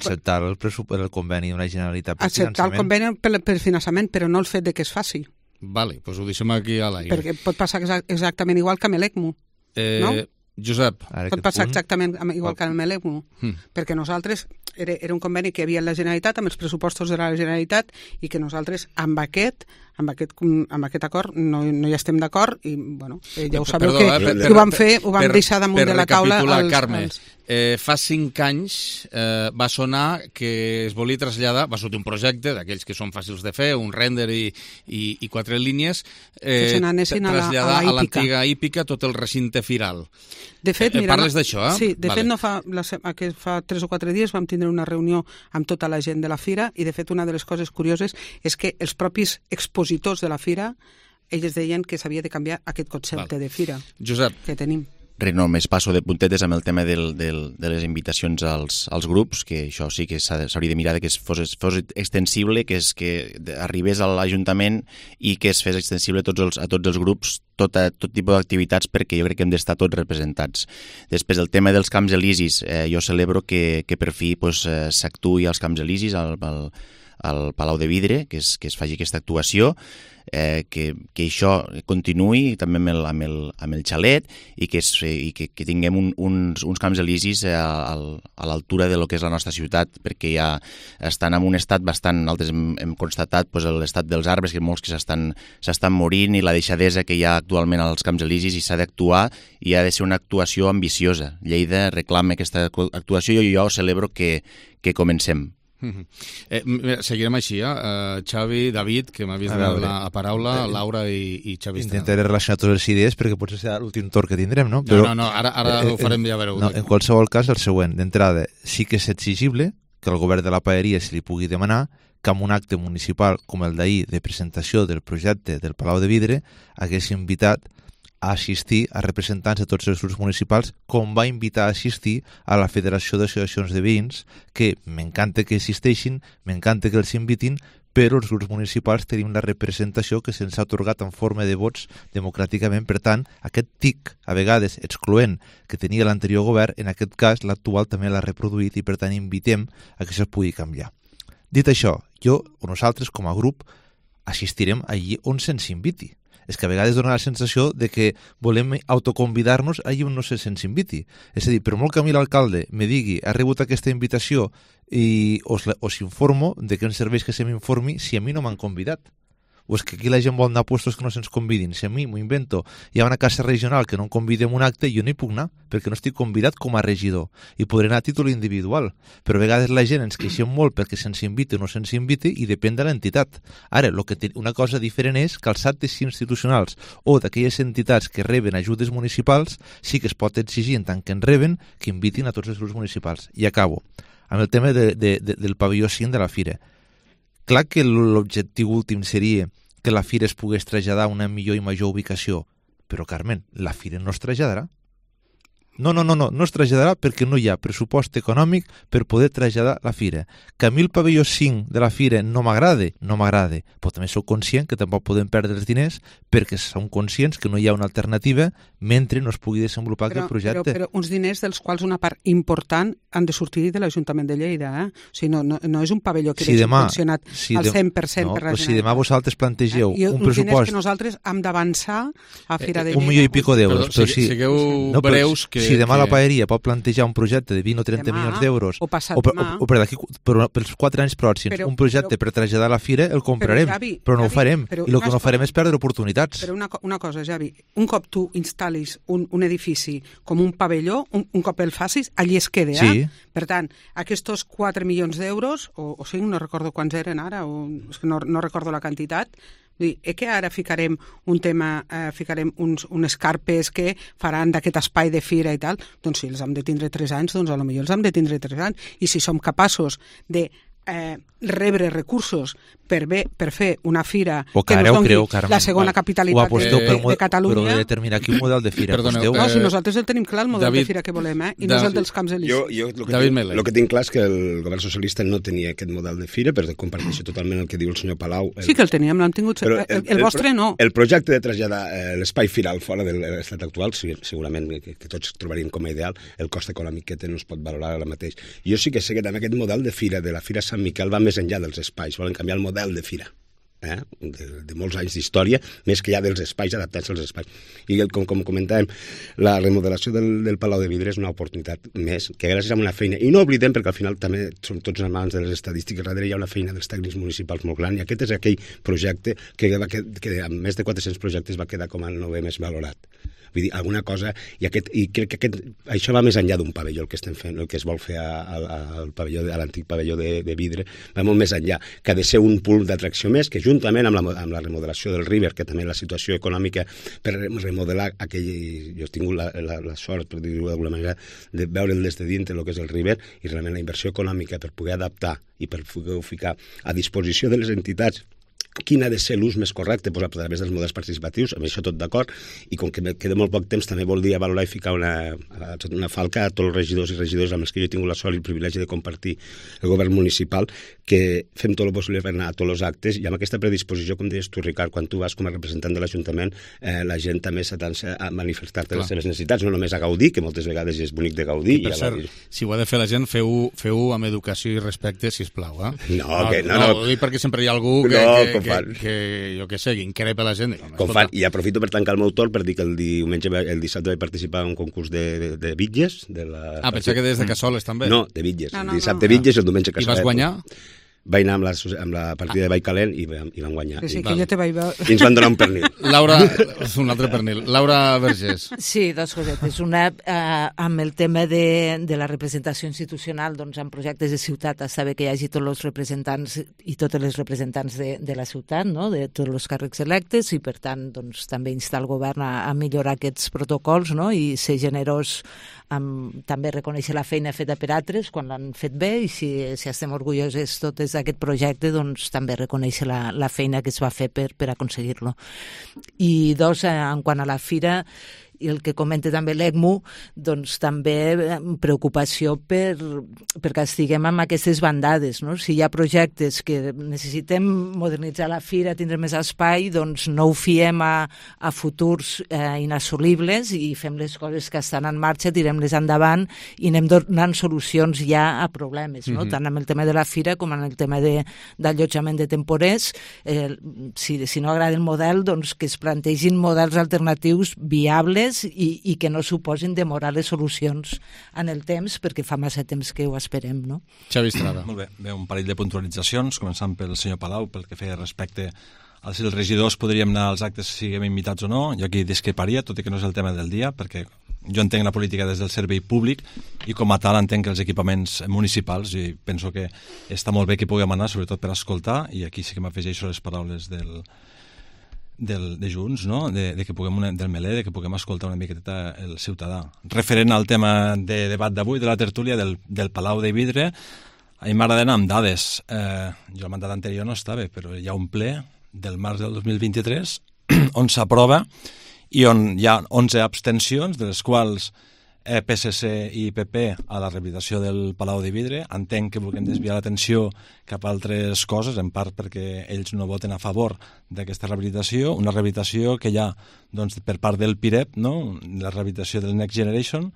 acceptar el, el conveni d'una Generalitat per acceptar el conveni per, per finançament, però no el fet de que es faci. Vale, doncs ho deixem aquí a l'aire. Perquè pot passar exactament igual que amb l'ECMO, eh, no? Josep. Pot passar punt... exactament igual que amb l'ECMO, mm. perquè nosaltres era, era un conveni que hi havia en la Generalitat, amb els pressupostos de la Generalitat, i que nosaltres amb aquest, amb aquest, amb aquest acord no, no hi estem d'acord, i bueno, eh, ja ho sabeu Perdó, que, eh, per, que ho vam fer, ho vam per, deixar damunt de la taula. Per als, Carme, als... Eh, fa cinc anys eh, va sonar que es volia traslladar, va sortir un projecte d'aquells que són fàcils de fer, un render i, i, i quatre línies, eh, que se n'anessin traslladar a la, a l'antiga hípica tot el recinte firal. De fet, eh, mira, parles d'això, eh? Sí, de vale. fet no fa, la, que fa tres o quatre dies vam tindre una reunió amb tota la gent de la fira, i de fet una de les coses curioses és que els propis expositors de la fira, ells deien que s'havia de canviar aquest concepte vale. de fira Josep. que tenim. Res, només passo de puntetes amb el tema del, del, de les invitacions als, als grups, que això sí que s'hauria de mirar que es fos, fos extensible, que, és, que arribés a l'Ajuntament i que es fes extensible a tots els, a tots els grups, tot, a, tot tipus d'activitats, perquè jo crec que hem d'estar tots representats. Després, el tema dels Camps Elisis, eh, jo celebro que, que per fi pues, eh, s'actuï als Camps Elisis, al, al, al Palau de Vidre, que es, que es faci aquesta actuació, eh, que, que això continuï també amb el, amb el, amb el xalet, i que, es, i que, que tinguem un, uns, uns Camps Elisis a, a l'altura de lo que és la nostra ciutat, perquè ja estan en un estat bastant, nosaltres hem, hem constatat pues, l'estat dels arbres, que molts que s'estan s'estan morint, i la deixadesa que hi ha actualment als Camps Elisis, i s'ha d'actuar, i ha de ser una actuació ambiciosa. Lleida reclama aquesta actuació, i jo celebro que, que comencem. Uh-huh. eh, seguirem així, eh? Uh, Xavi, David, que m'ha vist la, la paraula, Laura i, i Xavi. Intentaré relacionar totes les idees perquè potser serà l'últim torn que tindrem, no? Però, no, no, no, ara, ara eh, ho farem, ja veureu. No, en qualsevol cas, el següent, d'entrada, sí que és exigible que el govern de la Paeria se li pugui demanar que amb un acte municipal com el d'ahir de presentació del projecte del Palau de Vidre hagués invitat a assistir a representants de tots els grups municipals, com va invitar a assistir a la Federació d'Associacions de Veïns, que m'encanta que existeixin, m'encanta que els invitin, però els grups municipals tenim la representació que se'ns ha atorgat en forma de vots democràticament. Per tant, aquest tic, a vegades excloent, que tenia l'anterior govern, en aquest cas l'actual també l'ha reproduït, i per tant invitem a que això es pugui canviar. Dit això, jo o nosaltres com a grup assistirem allí on se'ns inviti. És que a vegades dona la sensació de que volem autoconvidar-nos allà on no se'ns inviti. És a dir, per molt que a mi l'alcalde me digui ha rebut aquesta invitació i us, us informo de que em serveix que se m'informi si a mi no m'han convidat. O és que aquí la gent vol anar a puestos que no se'ns convidin. Si a mi m'ho invento, hi ha una casa regional que no em convida en un acte, jo no hi puc anar, perquè no estic convidat com a regidor, i podré anar a títol individual. Però a vegades la gent ens queixem molt perquè se'ns inviti o no se'ns inviti, i depèn de l'entitat. Ara, lo que té, una cosa diferent és que els actes institucionals o d'aquelles entitats que reben ajudes municipals sí que es pot exigir, en tant que en reben, que invitin a tots els grups municipals. I acabo amb el tema de, de, de, del pavelló cinc de la Fira. Clar que l'objectiu últim seria que la Fira es pogués traslladar a una millor i major ubicació, però, Carmen, la Fira no es traslladarà. No, no, no, no, no es traslladarà perquè no hi ha pressupost econòmic per poder traslladar la Fira. Que a mi el pavelló cinc de la Fira no m'agrada, no m'agrada, però també sóc conscient que tampoc podem perdre els diners perquè som conscients que no hi ha una alternativa mentre no es pugui desenvolupar però, aquest projecte. Però, però uns diners dels quals una part important han de sortir de l'Ajuntament de Lleida. Eh? O sigui, no, no, no és un pavelló que si deixi demà, funcionat si al de, cent per cent no, per la Generalitat. Si demà vosaltres plantegeu eh? un uns pressupost... diners que nosaltres hem d'avançar a Fira de Lleida. Un milió i pico d'euros. Perdó, però si, sí, sigueu no, breus, que que... Si demà que... la paeria pot plantejar un projecte de vint o trenta demà, milions d'euros, o passat o, per, demà. o, o per d'aquí, per, pels quatre anys pròxims, Però- un projecte però- per traslladar a la fira, el comprarem, Però, Javi, però no Javi, ho farem. però I el una que no cosa- farem és perdre oportunitats. Però una, co- una cosa, Javi, un cop tu instal·lis un, un edifici com un pavelló, un, un cop el facis, allí es queda. Sí. Eh? Per tant, aquests quatre milions d'euros, o, o cinc, no recordo quants eren ara, o, és que no, no recordo la quantitat, vull dir, eh que ara ficarem un tema, eh, ficarem uns, unes carpes que faran d'aquest espai de fira i tal, doncs si els hem de tindre tres anys, doncs potser els hem de tindre tres anys. I si som capaços de eh, rebre recursos per, bé, per fer una fira O que que ens ara ho doni creu, Carme. la segona capitalitat de, de, de Catalunya. Però de determinar quin model de fira. Perdoneu, Costeu. No, si nosaltres el tenim clar, el model David- de fira que volem, eh? I David- no és el dels camps Jo, elisis. jo el, que David tinc, Mele. el que tinc clar és que el govern socialista no tenia aquest model de fira, però comparteixo totalment el que diu el senyor Palau. El, Sí que el teníem, l'han tingut. Però El, el, vostre no. El projecte de traslladar eh, l'espai firal fora de l'estat actual, sí, segurament que, que tots trobaríem com a ideal, el cost econòmic que té no es pot valorar ara mateix. Jo sí que sé que també aquest model de fira, de la Fira Sant Miquel, va més enllà dels espais, volen canviar el model de fira. Eh? De, de molts anys d'història, més que ja dels espais, adaptats als espais. I el, com, com comentàvem, la remodelació del, del Palau de Vidre és una oportunitat més, que gràcies a una feina, i no oblidem, perquè al final també som tots en mans de les estadístiques, darrere hi ha una feina dels tècnics municipals molt gran, i aquest és aquell projecte que, va, que, que amb més de quatre-cents projectes va quedar com el novè més valorat. Vull dir, alguna cosa... I, aquest, i crec que aquest, això va més enllà d'un pavelló, el que estem fent, el que es vol fer a, a, al pavelló, a l'antic pavelló de, de vidre, va molt més enllà, que ha de ser un punt d'atracció més, que juntament amb la, amb la remodelació del River, que també la situació econòmica per remodelar aquell... Jo he tingut la, la, la sort, per dir-ho d'alguna manera, de veure'l des de dintre el que és el River, i realment la inversió econòmica per poder adaptar i per poder ficar a disposició de les entitats quin ha de ser l'ús més correcte pues, a través dels models participatius, amb això tot d'acord, i com que me queda molt poc temps també voldria valorar i ficar una, una falca a tots els regidors i regidors amb els que jo he tingut la sort i el privilegi de compartir el govern municipal, que fem tot el possible per anar a tots els actes, i amb aquesta predisposició, com deies tu, Ricard, quan tu vas com a representant de l'Ajuntament, eh, la gent també s'atansa a manifestar-te les seves necessitats, no només a gaudir, que moltes vegades és bonic de gaudir. I per i cert, la... si ho ha de fer la gent, feu-ho feu amb educació i respecte, sisplau, eh? No, que no, no. no. Ho dic perquè sempre hi ha algú que, no, que, que, que, jo què sé, que increpa la gent. Com fan, i aprofito per tancar el meu torn per dir que el diumenge, el dissabte vaig participar en un concurs de, de, de bitlles. De la... Ah, pensava que des de Cassoles també. No, de bitlles. No, no, el dissabte no. bitlles i el diumenge Cassoles. I vas guanyar? Vaig anar amb la, amb la partida ah. de Vall Calent i, i van guanyar. Sí, sí, I, que jo te vaig veure. I ens van donar un pernil. Laura, un altre pernil. Laura Vergés. Sí, dos cosetes. Una, eh, amb el tema de, de la representació institucional, doncs en projectes de ciutat està bé que hi hagi tots els representants i totes les representants de, de la ciutat, no? De tots els càrrecs electes, i per tant doncs, també instar el govern a, a millorar aquests protocols, no? I ser generós amb, també reconèixer la feina feta per altres quan l'han fet bé, i si, si estem orgullosos totes d'aquest projecte, doncs també reconèixer la, la feina que es va fer per, per aconseguir-lo. I dos, en quant a la fira, i el que comenta també l'ECMU, doncs també preocupació per, perquè estiguem amb aquestes bandades, no? Si hi ha projectes que necessitem modernitzar la fira, tindre més espai, doncs no ho fiem a, a futurs eh, inassolibles i fem les coses que estan en marxa, tirem-les endavant i anem donant solucions ja a problemes, no? Mm-hmm. Tant amb el tema de la fira com en el tema d'allotjament de, de temporers. Eh, si, si no agrada el model, doncs que es plantegin models alternatius viables I, i que no suposin demorar les solucions en el temps, perquè fa massa temps que ho esperem, no? Xavi Estrada. Molt bé, bé, un parell de puntualitzacions, començant pel senyor Palau, pel que feia respecte a si els regidors podríem anar als actes si siguem invitats o no. Jo aquí discreparia, tot i que no és el tema del dia, perquè jo entenc la política des del servei públic i com a tal entenc que els equipaments municipals, i penso que està molt bé que puguem anar, sobretot per escoltar, i aquí sí que m'afegeixo les paraules del Del, de Junts, no? de, de que puguem una, del Melé, de que puguem escoltar una miqueta el ciutadà. Referent al tema de debat d'avui, de la tertúlia del, del Palau de Vidre, a mi m'agrada anar amb dades. Eh, jo el mandat anterior no estava, però hi ha un ple del març del dos mil vint-i-tres on s'aprova i on hi ha onze abstencions, de les quals eh, P S C i P P a la rehabilitació del Palau de Vidre. Entenc que vulguem desviar l'atenció cap a altres coses, en part perquè ells no voten a favor d'aquesta rehabilitació, una rehabilitació que hi ha doncs, per part del PIREP, no? La rehabilitació del Next Generation,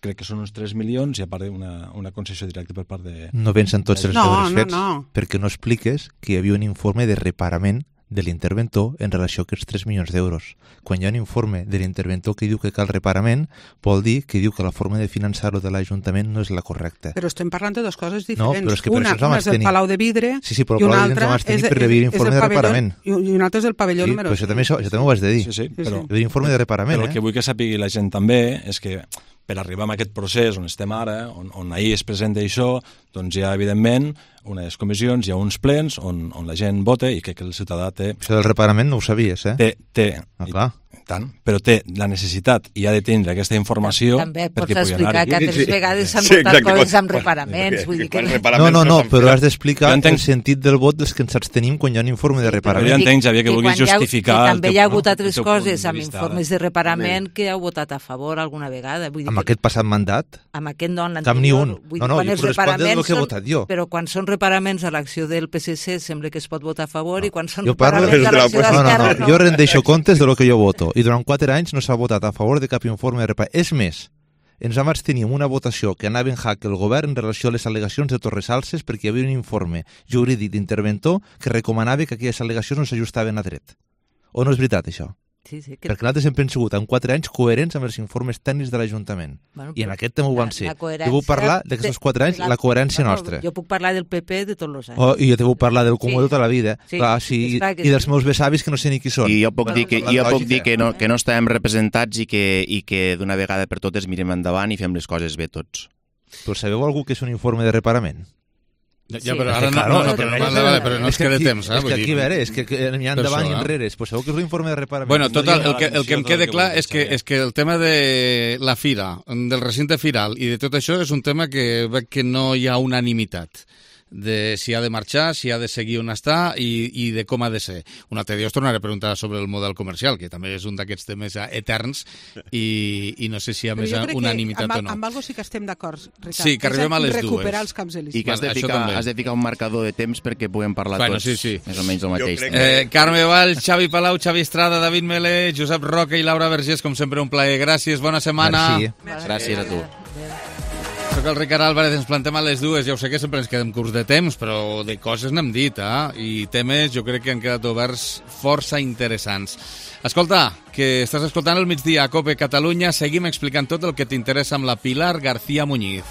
crec que són uns tres milions, i a part una, una concessió directa per part de... No pensen tots els no, deures no, fets, no. perquè no expliques que hi havia un informe de reparament de l'interventor en relació a aquests tres milions d'euros. Quan hi ha un informe de l'interventor que diu que cal reparament, vol dir que diu que la forma de finançar-ho de l'Ajuntament no és la correcta. Però estem parlant de dues coses diferents. No, però és que per una, això una és el Palau de Vidre sí, sí, però i una altra és, per rebir informe de reparament. I una altra és el pavelló sí, número però això també, això, això també ho has de dir. Sí, sí, però, rebir informe de reparament. Però el eh? que vull que sàpigui la gent també és que per arribar a aquest procés on estem ara, on, on ahir es presenta això, doncs hi ha, evidentment, unes comissions, hi ha uns plens on, on la gent vota i crec que el ciutadà té... Això del reparament no ho sabies, eh? Té, té. Ah, clar. Tant, però té la necessitat i ha de tindre aquesta informació també perquè pots pugui anar-hi. explicar que altres vegades s'han Sí, votat exacte. coses amb reparaments. Vull dir que... No, no, no, però has d'explicar el sentit del vot dels que ens abstenim quan hi ha un informe de reparament. Però jo entenc, Xavier, que vulguis justificar... Que també hi ha hagut altres teu coses punt de amb vista, informes de reparament que heu votat a favor alguna vegada. Vull dir Amb que... aquest passat mandat? Amb aquest no, en Cap ni un. Vull No, no, dir, quan jo els corresponde del reparaments que he són- votat jo. Però quan són reparaments a l'acció del P S C sembla que es pot votar a favor i quan són Jo parlo reparaments a l'acció no, no, d'Esquerra no, jo rendeixo comptes de lo que jo voto i durant quatre anys no s'ha votat a favor de cap informe de reparament. És més, ens vam abstenir en una votació que anava en hack el govern en relació a les al·legacions de Torresalses perquè hi havia un informe jurídic d'interventor que recomanava que aquelles al·legacions no s'ajustaven a dret. O no és veritat, això? Sí, sí, que... Perquè nosaltres sempre hem sigut en quatre anys coherents amb els informes tècnics de l'Ajuntament. Bueno, I en aquest també ho van ser. coherència Jo puc parlar d'aquests quatre anys, la coherència no, nostra. Jo puc parlar del P P de tots els anys. Oh, I jo te puc parlar del comú Sí. de tota la vida. Sí, Clar, sí, està que i dels sí. meus besavis que no sé ni qui són. I jo puc Bueno, dir que, la jo puc lògica. dir que, no, que no estàvem representats i que, i que d'una vegada per totes mirem endavant i fem les coses bé tots. Però sabeu algú que és un informe de reparament? Ja, però ara no, no, no, però, vale, vale, però no es queda temps, eh? És que aquí, a veure, és que n'hi ha Per endavant això, i eh? enrere. Pues sabeu que és un informe de reparament. Bueno, total, el que, el que em queda clar és que, és que el tema de la fira, del recinte firal i de tot això és un tema que veig que no hi ha unanimitat de si ha de marxar, si ha de seguir on està i, i de com ha de ser. Un altre dia us tornaré a preguntar sobre el model comercial, que també és un d'aquests temes eterns i, i no sé si hi ha Però més jo crec que unanimitat amb, o no. amb algo sí que estem d'acord, Ricard. Sí, que arribem a les dues. Recuperar els camps elisis. I que has de, Vale, això ficar, també. has de ficar un marcador de temps perquè puguem parlar Bueno, tots sí, sí. més o menys el mateix. Eh, Carme Vall, Xavi Palau, Xavi Estrada, David Melé, Josep Roca i Laura Vergés, com sempre un plaer. Gràcies, bona setmana. Merci. Gràcies a tu. Soc el Ricard Álvarez, ens plantem a les dues. Ja ho sé que sempre ens quedem curts de temps, però de coses n'hem dit, eh? I temes jo crec que han quedat oberts força interessants. Escolta, que estàs escoltant el migdia a COPE Catalunya, seguim explicant tot el que t'interessa amb la Pilar García Muñiz.